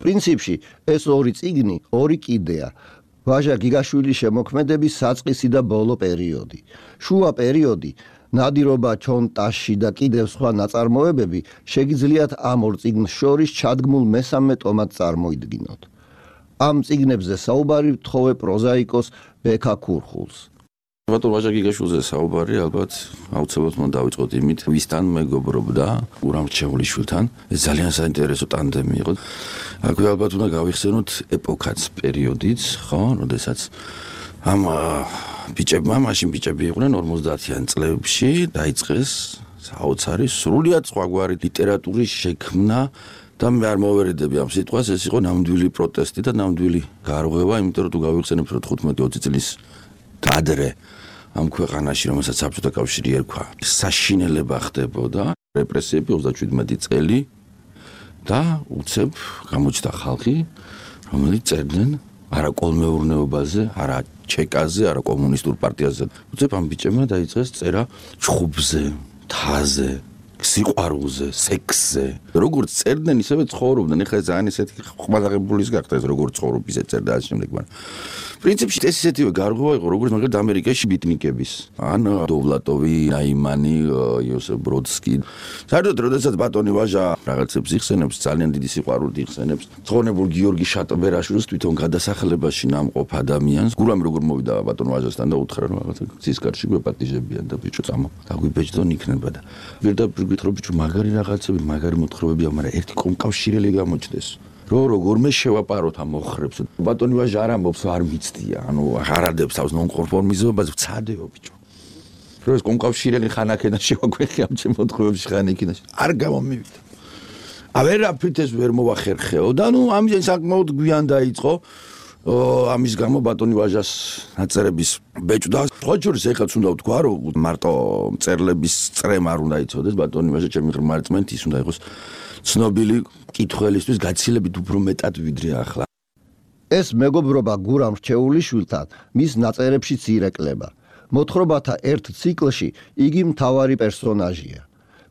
პრინციპში ეს 2 წიგნი 2 კიდეა. ვაჟა გიგაშვილის შემოქმედების საწყისი და ბოლო პერიოდი. შუა პერიოდი, ნადირობა ჩონტაში და კიდევ სხვა ნაწარმოებები შეგიძლიათ ამ 2 წიგნს შორის ჩადგმულ მესამე ტომად წარმოიდგინოთ. ამ წიგნებზე საუბარი ვთხოვე პროზაიკოს ბექა ქურხულს. ბატონ ვაჟა გიგაშვილზე საუბარი ალბათ აუცილებლად უნდა დავიწყოთ იმით, ვისთან მეგობრობდა გურამ რჩეულიშვილთან. ეს ძალიან საინტერესო ტანდემი იყო. აქვე ალბათ უნდა გავიხსენოთ ეპოქაც, პერიოდიც, ხო, როდესაც ამ ბიჭებმა, მაშინ ბიჭები იყვნენ 50-იან წლებში, დაიწყეს საოცარი სრულიად სხვაგვარი ლიტერატურის შექმნა და მე არ მოვერიდები ამ სიტყვას, ეს იყო ნამდვილი პროტესტი და ნამდვილი გარღვევა, იმიტომ რომ თუ გავიხსენებთ, რომ 15-20 წლის ადრე ამ ქვეყანაში, რომელსაც საბჭოთა კავშირი ერქვა, საშინელება ხდებოდა, რეპრესიები 37 წელი და უცებ გამოჩნდა ხალხი, რომელიც წერდნენ არა კოლმეურნეობაზე, არა ჩეკაზე, არა კომუნისტურ პარტიაზე. უცებ ამ ბიჭებმა დაიწყეს წერა ჩხუბზე, თაზე, სიყვარულზე, სექსზე. როგორც წერდნენ, ისევე ცხოვრობდნენ. ეხლა ძალიან ესეთი ხმადაღებულის გახდა ეს როგორც ცხოვრობ, ისე წერდა ამ შემდეგ, მაგრამ პრინციპში ეს ისეთივე გარღვევა იყო, როგორც მაგალითად ამერიკაში ბიტნიკების. ან დოვლატოვი, ნაიმანი, იოსებ ბროდსკი. საერთოდ, როდესაც ბატონი ვაჟა რაღაცებს იხსენებს, ძალიან დიდი სიყვარულით იხსენებს. ცხონებულ გიორგი შატბერაშვილს თვითონ გადასახლებაში ნამყოფ ადამიანს, გურამი როგორ მოვიდა ბატონ ვაჟასთან და უთხრა, რომ რაღაცა ცისკარში გვეპატიჟებიან და ბიჭო წამო, დაგვიბეჭდონ იქნება და პირდაპირ გითხრობ, ბიჭო, მაგარი რაღაცები, მაგარი მოთხრობებია, მაგრამ ერთი კომკავშირელი გამოჩნდეს. როგორ მე შევაპაროთ ამ მოხრებს. ბატონი ვაჟა არ ამბობს, არ მიცდია, ანუ აღარადებს თავს ნონკონფორმიზმობას, ვცადეო ბიჭო. რომ ეს კომკავშირელი ხანაკენა შევაგვეხი ამ ჩემ მოთხრობებში ხანიკინაში. არ გამომივიდა. ავერაფრით ეს ვერ მოვახერხეო და ნუ ამის საკმაოდ გვიან დაიწყო ამის გამო ბატონი ვაჟას ნაწერების ბეჭდა. სხვა შორის ეხლაც უნდა ვთქვა, რომ მარტო მწერლების წრემა არ უნდა იცოდეს, ბატონი ვაჟა ჩემი ღრმა რწმენით ის უნდა იყოს ცნობილი კითხველისთვის გაცილებით უფრო მეტად ვიდრე ახლა. ეს მეგობრობა გურამ რჩეულიშვილთან მის ნაწერებშიც ირეკლება. მოთხრობათა ერთ ციკლში იგი მთავარი პერსონაჟია.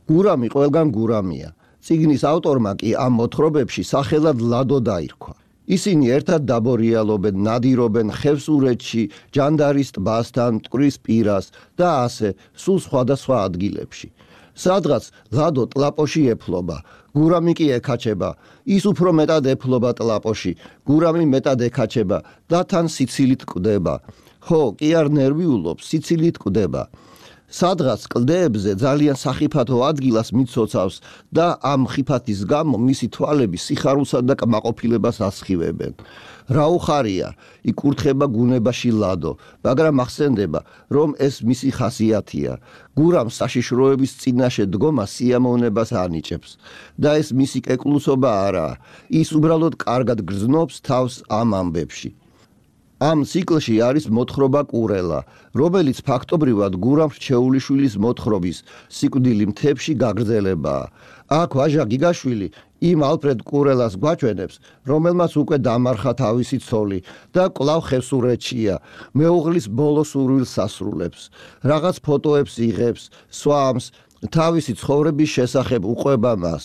გურამი ყველგან გურამია. წიგნის ავტორმა კი ამ მოთხრობებში სახელად ლადო დაირქვა. ისინი ერთად დაბორიალობენ, ნადირობენ ხევსურეთში, ჯანდარის ტბასთან, მტკვრის პირას და ასე სულ სხვადასხვა ადგილებში. სადღაც ლადო ტლაპოში ეფლობა, გურამი კი ეკაჩება, ის უფრო მეტად ეფლობა ტლაპოში, გურამი მეტად ეკაჩება და თან სიცილით კვდება. ხო, კი არ ნერვიულობს, სიცილით კვდება. სადღაც კლდეებზე ძალიან სახიფათო ადგილას მიცოცავს და ამ ხიფათის გამო მისი თვალები სიხარულსა და კმაყოფილებას ასხივებენ. რა უხარია, იკურთხება გუნებაში ლადო, მაგრამ ახსენდება, რომ ეს მისი ხასიათია. გურამს საშიშროების წინაშე დგომა სიამოვნებას ანიჭებს და ეს მისი კეკლუსობა არაა. ის უბრალოდ კარგად გრძნობს თავს ამ ამბებში. ამ ციკლში არის მოთხრობა კურელა, რომელიც ფაქტობრივად გურამ რჩეულიშვილის მოთხრობის სიკვდილი მთებში გაგრძელებაა. აქ ვაჟა გიგაშვილი იმ ალფრედ კურელას გვაჩვენებს, რომელმაც უკვე დამარხა თავისი ცოლი და კვლავ ხევსურეთშია, მეუღლის ბოლო სურვილს ასრულებს. რაღაც ფოტოებს იღებს, სვამს, თავისი ცხოვრების შესახებ უყვება მას.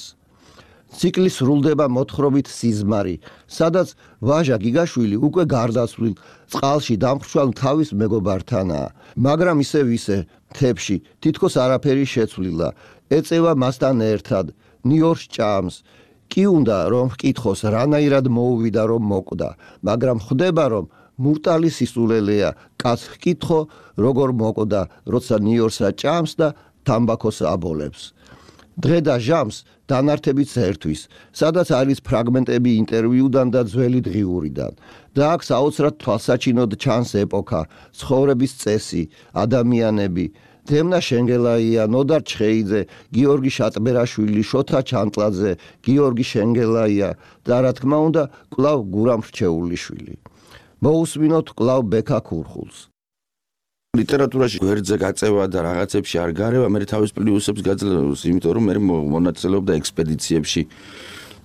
ციკლი სრულდება მოთხრობით სიზმარი, სადაც ვაჟა გიგაშვილი უკვე გარდაცვლილ წყალში დამხრჩვალ თავის მეგობართანაა, მაგრამ ისე მთებში თითქოს არაფერი შეცვლილა, ეწევა მასთან ერთად, ნიორს ჭამს. კი უნდა რომ ვკითხოს რანაირად მოუვიდა რომ მოკვდა, მაგრამ ხვდება რომ მურტალი სისულელეა, კაც ვკითხო როგორ მოკვდა, როცა ნიორსა ჭამს და თამბაქოს აბოლებს. დღე და ჟამს დანართებით ერთვის, სადაც არის ფრაგმენტები ინტერვიუდან და ძველი დღიურიდან. და აქ საოცრად თვალსაჩინოდ ჩანს ეპოქა, ცხოვრების წესი, ადამიანები, დემნა შენგელაია, ნოდარ ჩხეიძე, გიორგი შატბერაშვილი, შოთა ჩანტლაძე, გიორგი შენგელაია და რა თქმა უნდა, კვლავ გურამ რჩეულიშვილი. მოусმინოთ კვლავ ბექა ქურხულს. ლიტერატურაში გვერდზე გაწევა და რაღაცებში არ გარევა, მე თავის პლუსებს გაძლევს, იმიტომ რომ მე მონაწილეობდა ექსპედიციებში.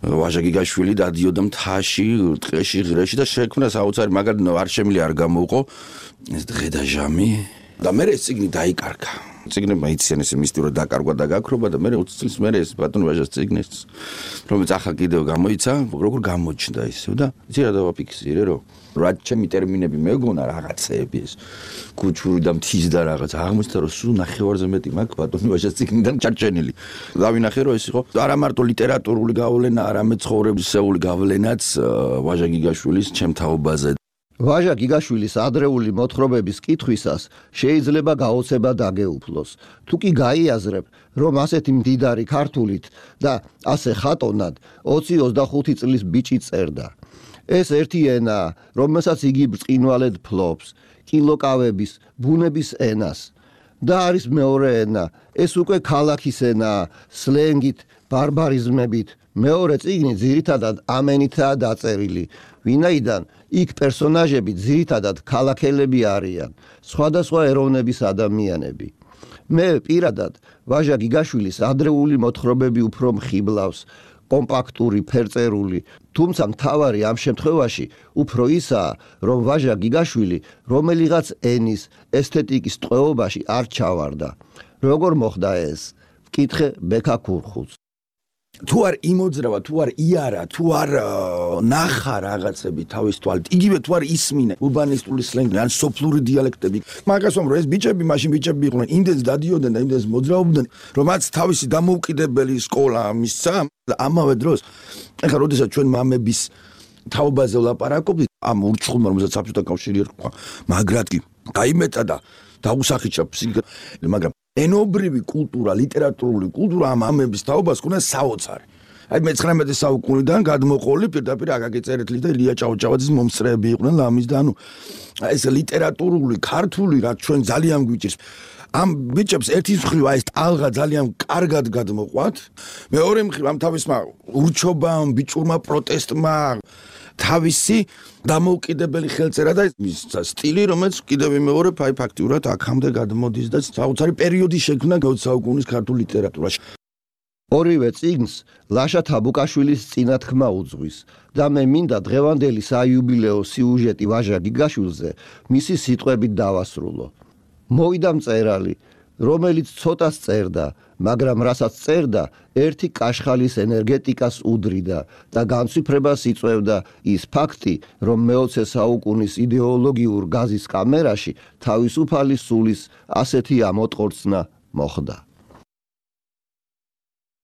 ვაჟა გიგაშვილი დადიოდა მთაში, ტყეში, ღრეში და შექმნა საოცარი, მაგრამ არ შემილი არ გამოუყო ეს დღე და ჟამი და მე ეს წიგნი დაიკარგა. წიგნებმა იციან ესე მისტიურად დაკარგვა და გაქრობა და მე 20 წლის მერე ეს ბატონ ვაჟას წიგნს რომელიც ახლა კიდევ გამოიცა, როგორ გამოჩნდა ისე და იცი რა დავაფიქსირე რომ რა ჩემი ტერმინები მეგონა რაღაცეები ეს კუჩური და მთის და რაღაც აღმოჩნდა რომ სულ ნახევარზე მეტი მაქვს ბატონ ვაჟას წიგნიდან ჩარჩენილი. დავინახე რომ ეს იყო არა მარტო ლიტერატურული გავლენა, არამედ ცხოვრებისეული გავლენაც ვაჟა გიგაშვილის ჩემ თაობაზე. ვაჟა გიგაშვილის ადრეული მოთხრობების კითხვისას შეიძლება გაოცება დაგეუფლოს. თუ კი გაიაზრებ, რომ ასეთი მდიდარი ქართულით და ასე ხატონად 20-25 წლის ბიჭი წერდა. ეს ერთი ენაა, რომელსაც იგი ბრწყინვალედ ფლობს, კილოკავების, ბუნების ენას. და არის მეორე ენა, ეს უკვე ქალაქის ენაა, სლენგით, ბარბარიზმებით. მეორე წიგნი ძირითადად ამენითაა დაწერილი, ვინაიდან იქ პერსონაჟები ძირითადად ქალაქელები არიან, სხვადასხვა ეროვნების ადამიანები. მე პირადად ვაჟა გიგაშვილის ადრეული მოთხრობები უფრო მხიბლავს, კომპაქტური, ფერწერული, თუმცა მთავარი ამ შემთხვევაში უფრო ისაა, რომ ვაჟა გიგაშვილი რომელიღაც ენის, ესთეტიკის ტყვეობაში არ ჩავარდა. როგორ მოხდა ეს? ვკითხე ბექა ქურხულს. თუ არ იმოძრავა, თუ არ იარა, თუ არ ნახა რაღაცები თავის თვალით, იგივე თუ არ ისმინე ურბანისტული სლენგი, ან სოფლური დიალექტები. მაგას ვამბობ, ეს ბიჭები, მაშინ ბიჭები იყვნენ, იმდენს დადიოდნენ და იმდენს მოძრაობდნენ, რომ მათ თავისი დამოუკიდებელი სკოლა მისცა. ამავე დროს, ეხლა როდესაც ჩვენ მამების თაობაზე ვლაპარაკობთ, ამ ურჩხულმა, რომელსაც საბჭოთა კავშირი ერქვა, მაგრად კი გაიმეტა და დაუსახიჩა ფსიქოლოგია, მაგრამ ენობრივი კულტურა, ლიტერატურული კულტურა ამ ამების თაობას ქონდა საოცარი. აი მე-19 საუკუნიდან გადმოყოლი პირდაპირ აკაკი წერეთლის და ილია ჭავჭავაძის მომსწრეები იყვნენ ლამის და ანუ ეს ლიტერატურული, ქართული რაც ჩვენ ძალიან გვიჭირს. ამ ბიჭებს ერთის მხრივ აი ეს ტალღა ძალიან კარგად გადმოყვათ. მეორე მხრივ ამ თავისმა ურჩობამ, ბიჭურმა პროტესტმა თავისი დამოუკიდებელი ხელწერა და ის სტილი, რომელიც კიდევ ვიმეორებ, აი ფაქტიურად აქამდე გადმოდის და საოცარი პერიოდი შექმნა 20 საუკუნის ქართულ ლიტერატურაში. ორივე წიგნს ლაშა თაბუკაშვილის წინათქმა უძღვის და მე მინდა დღევანდელი საიუბილეო სიუჟეტი ვაჟა გიგაშვილზე მისი სიტყვებით დავასრულო. მოვიდა მწერალი, რომელიც ცოტას წერდა, მაგრამ რასაც წერდა, ერთი კაშხალის ენერგეტიკას უდრიდა და განცვიფრებას იწვევდა ის ფაქტი, რომ მე-20 საუკუნის იდეოლოგიურ გაზის კამერაში თავისუფალი სულის ასეთი ამოტყორცნა მოხდა.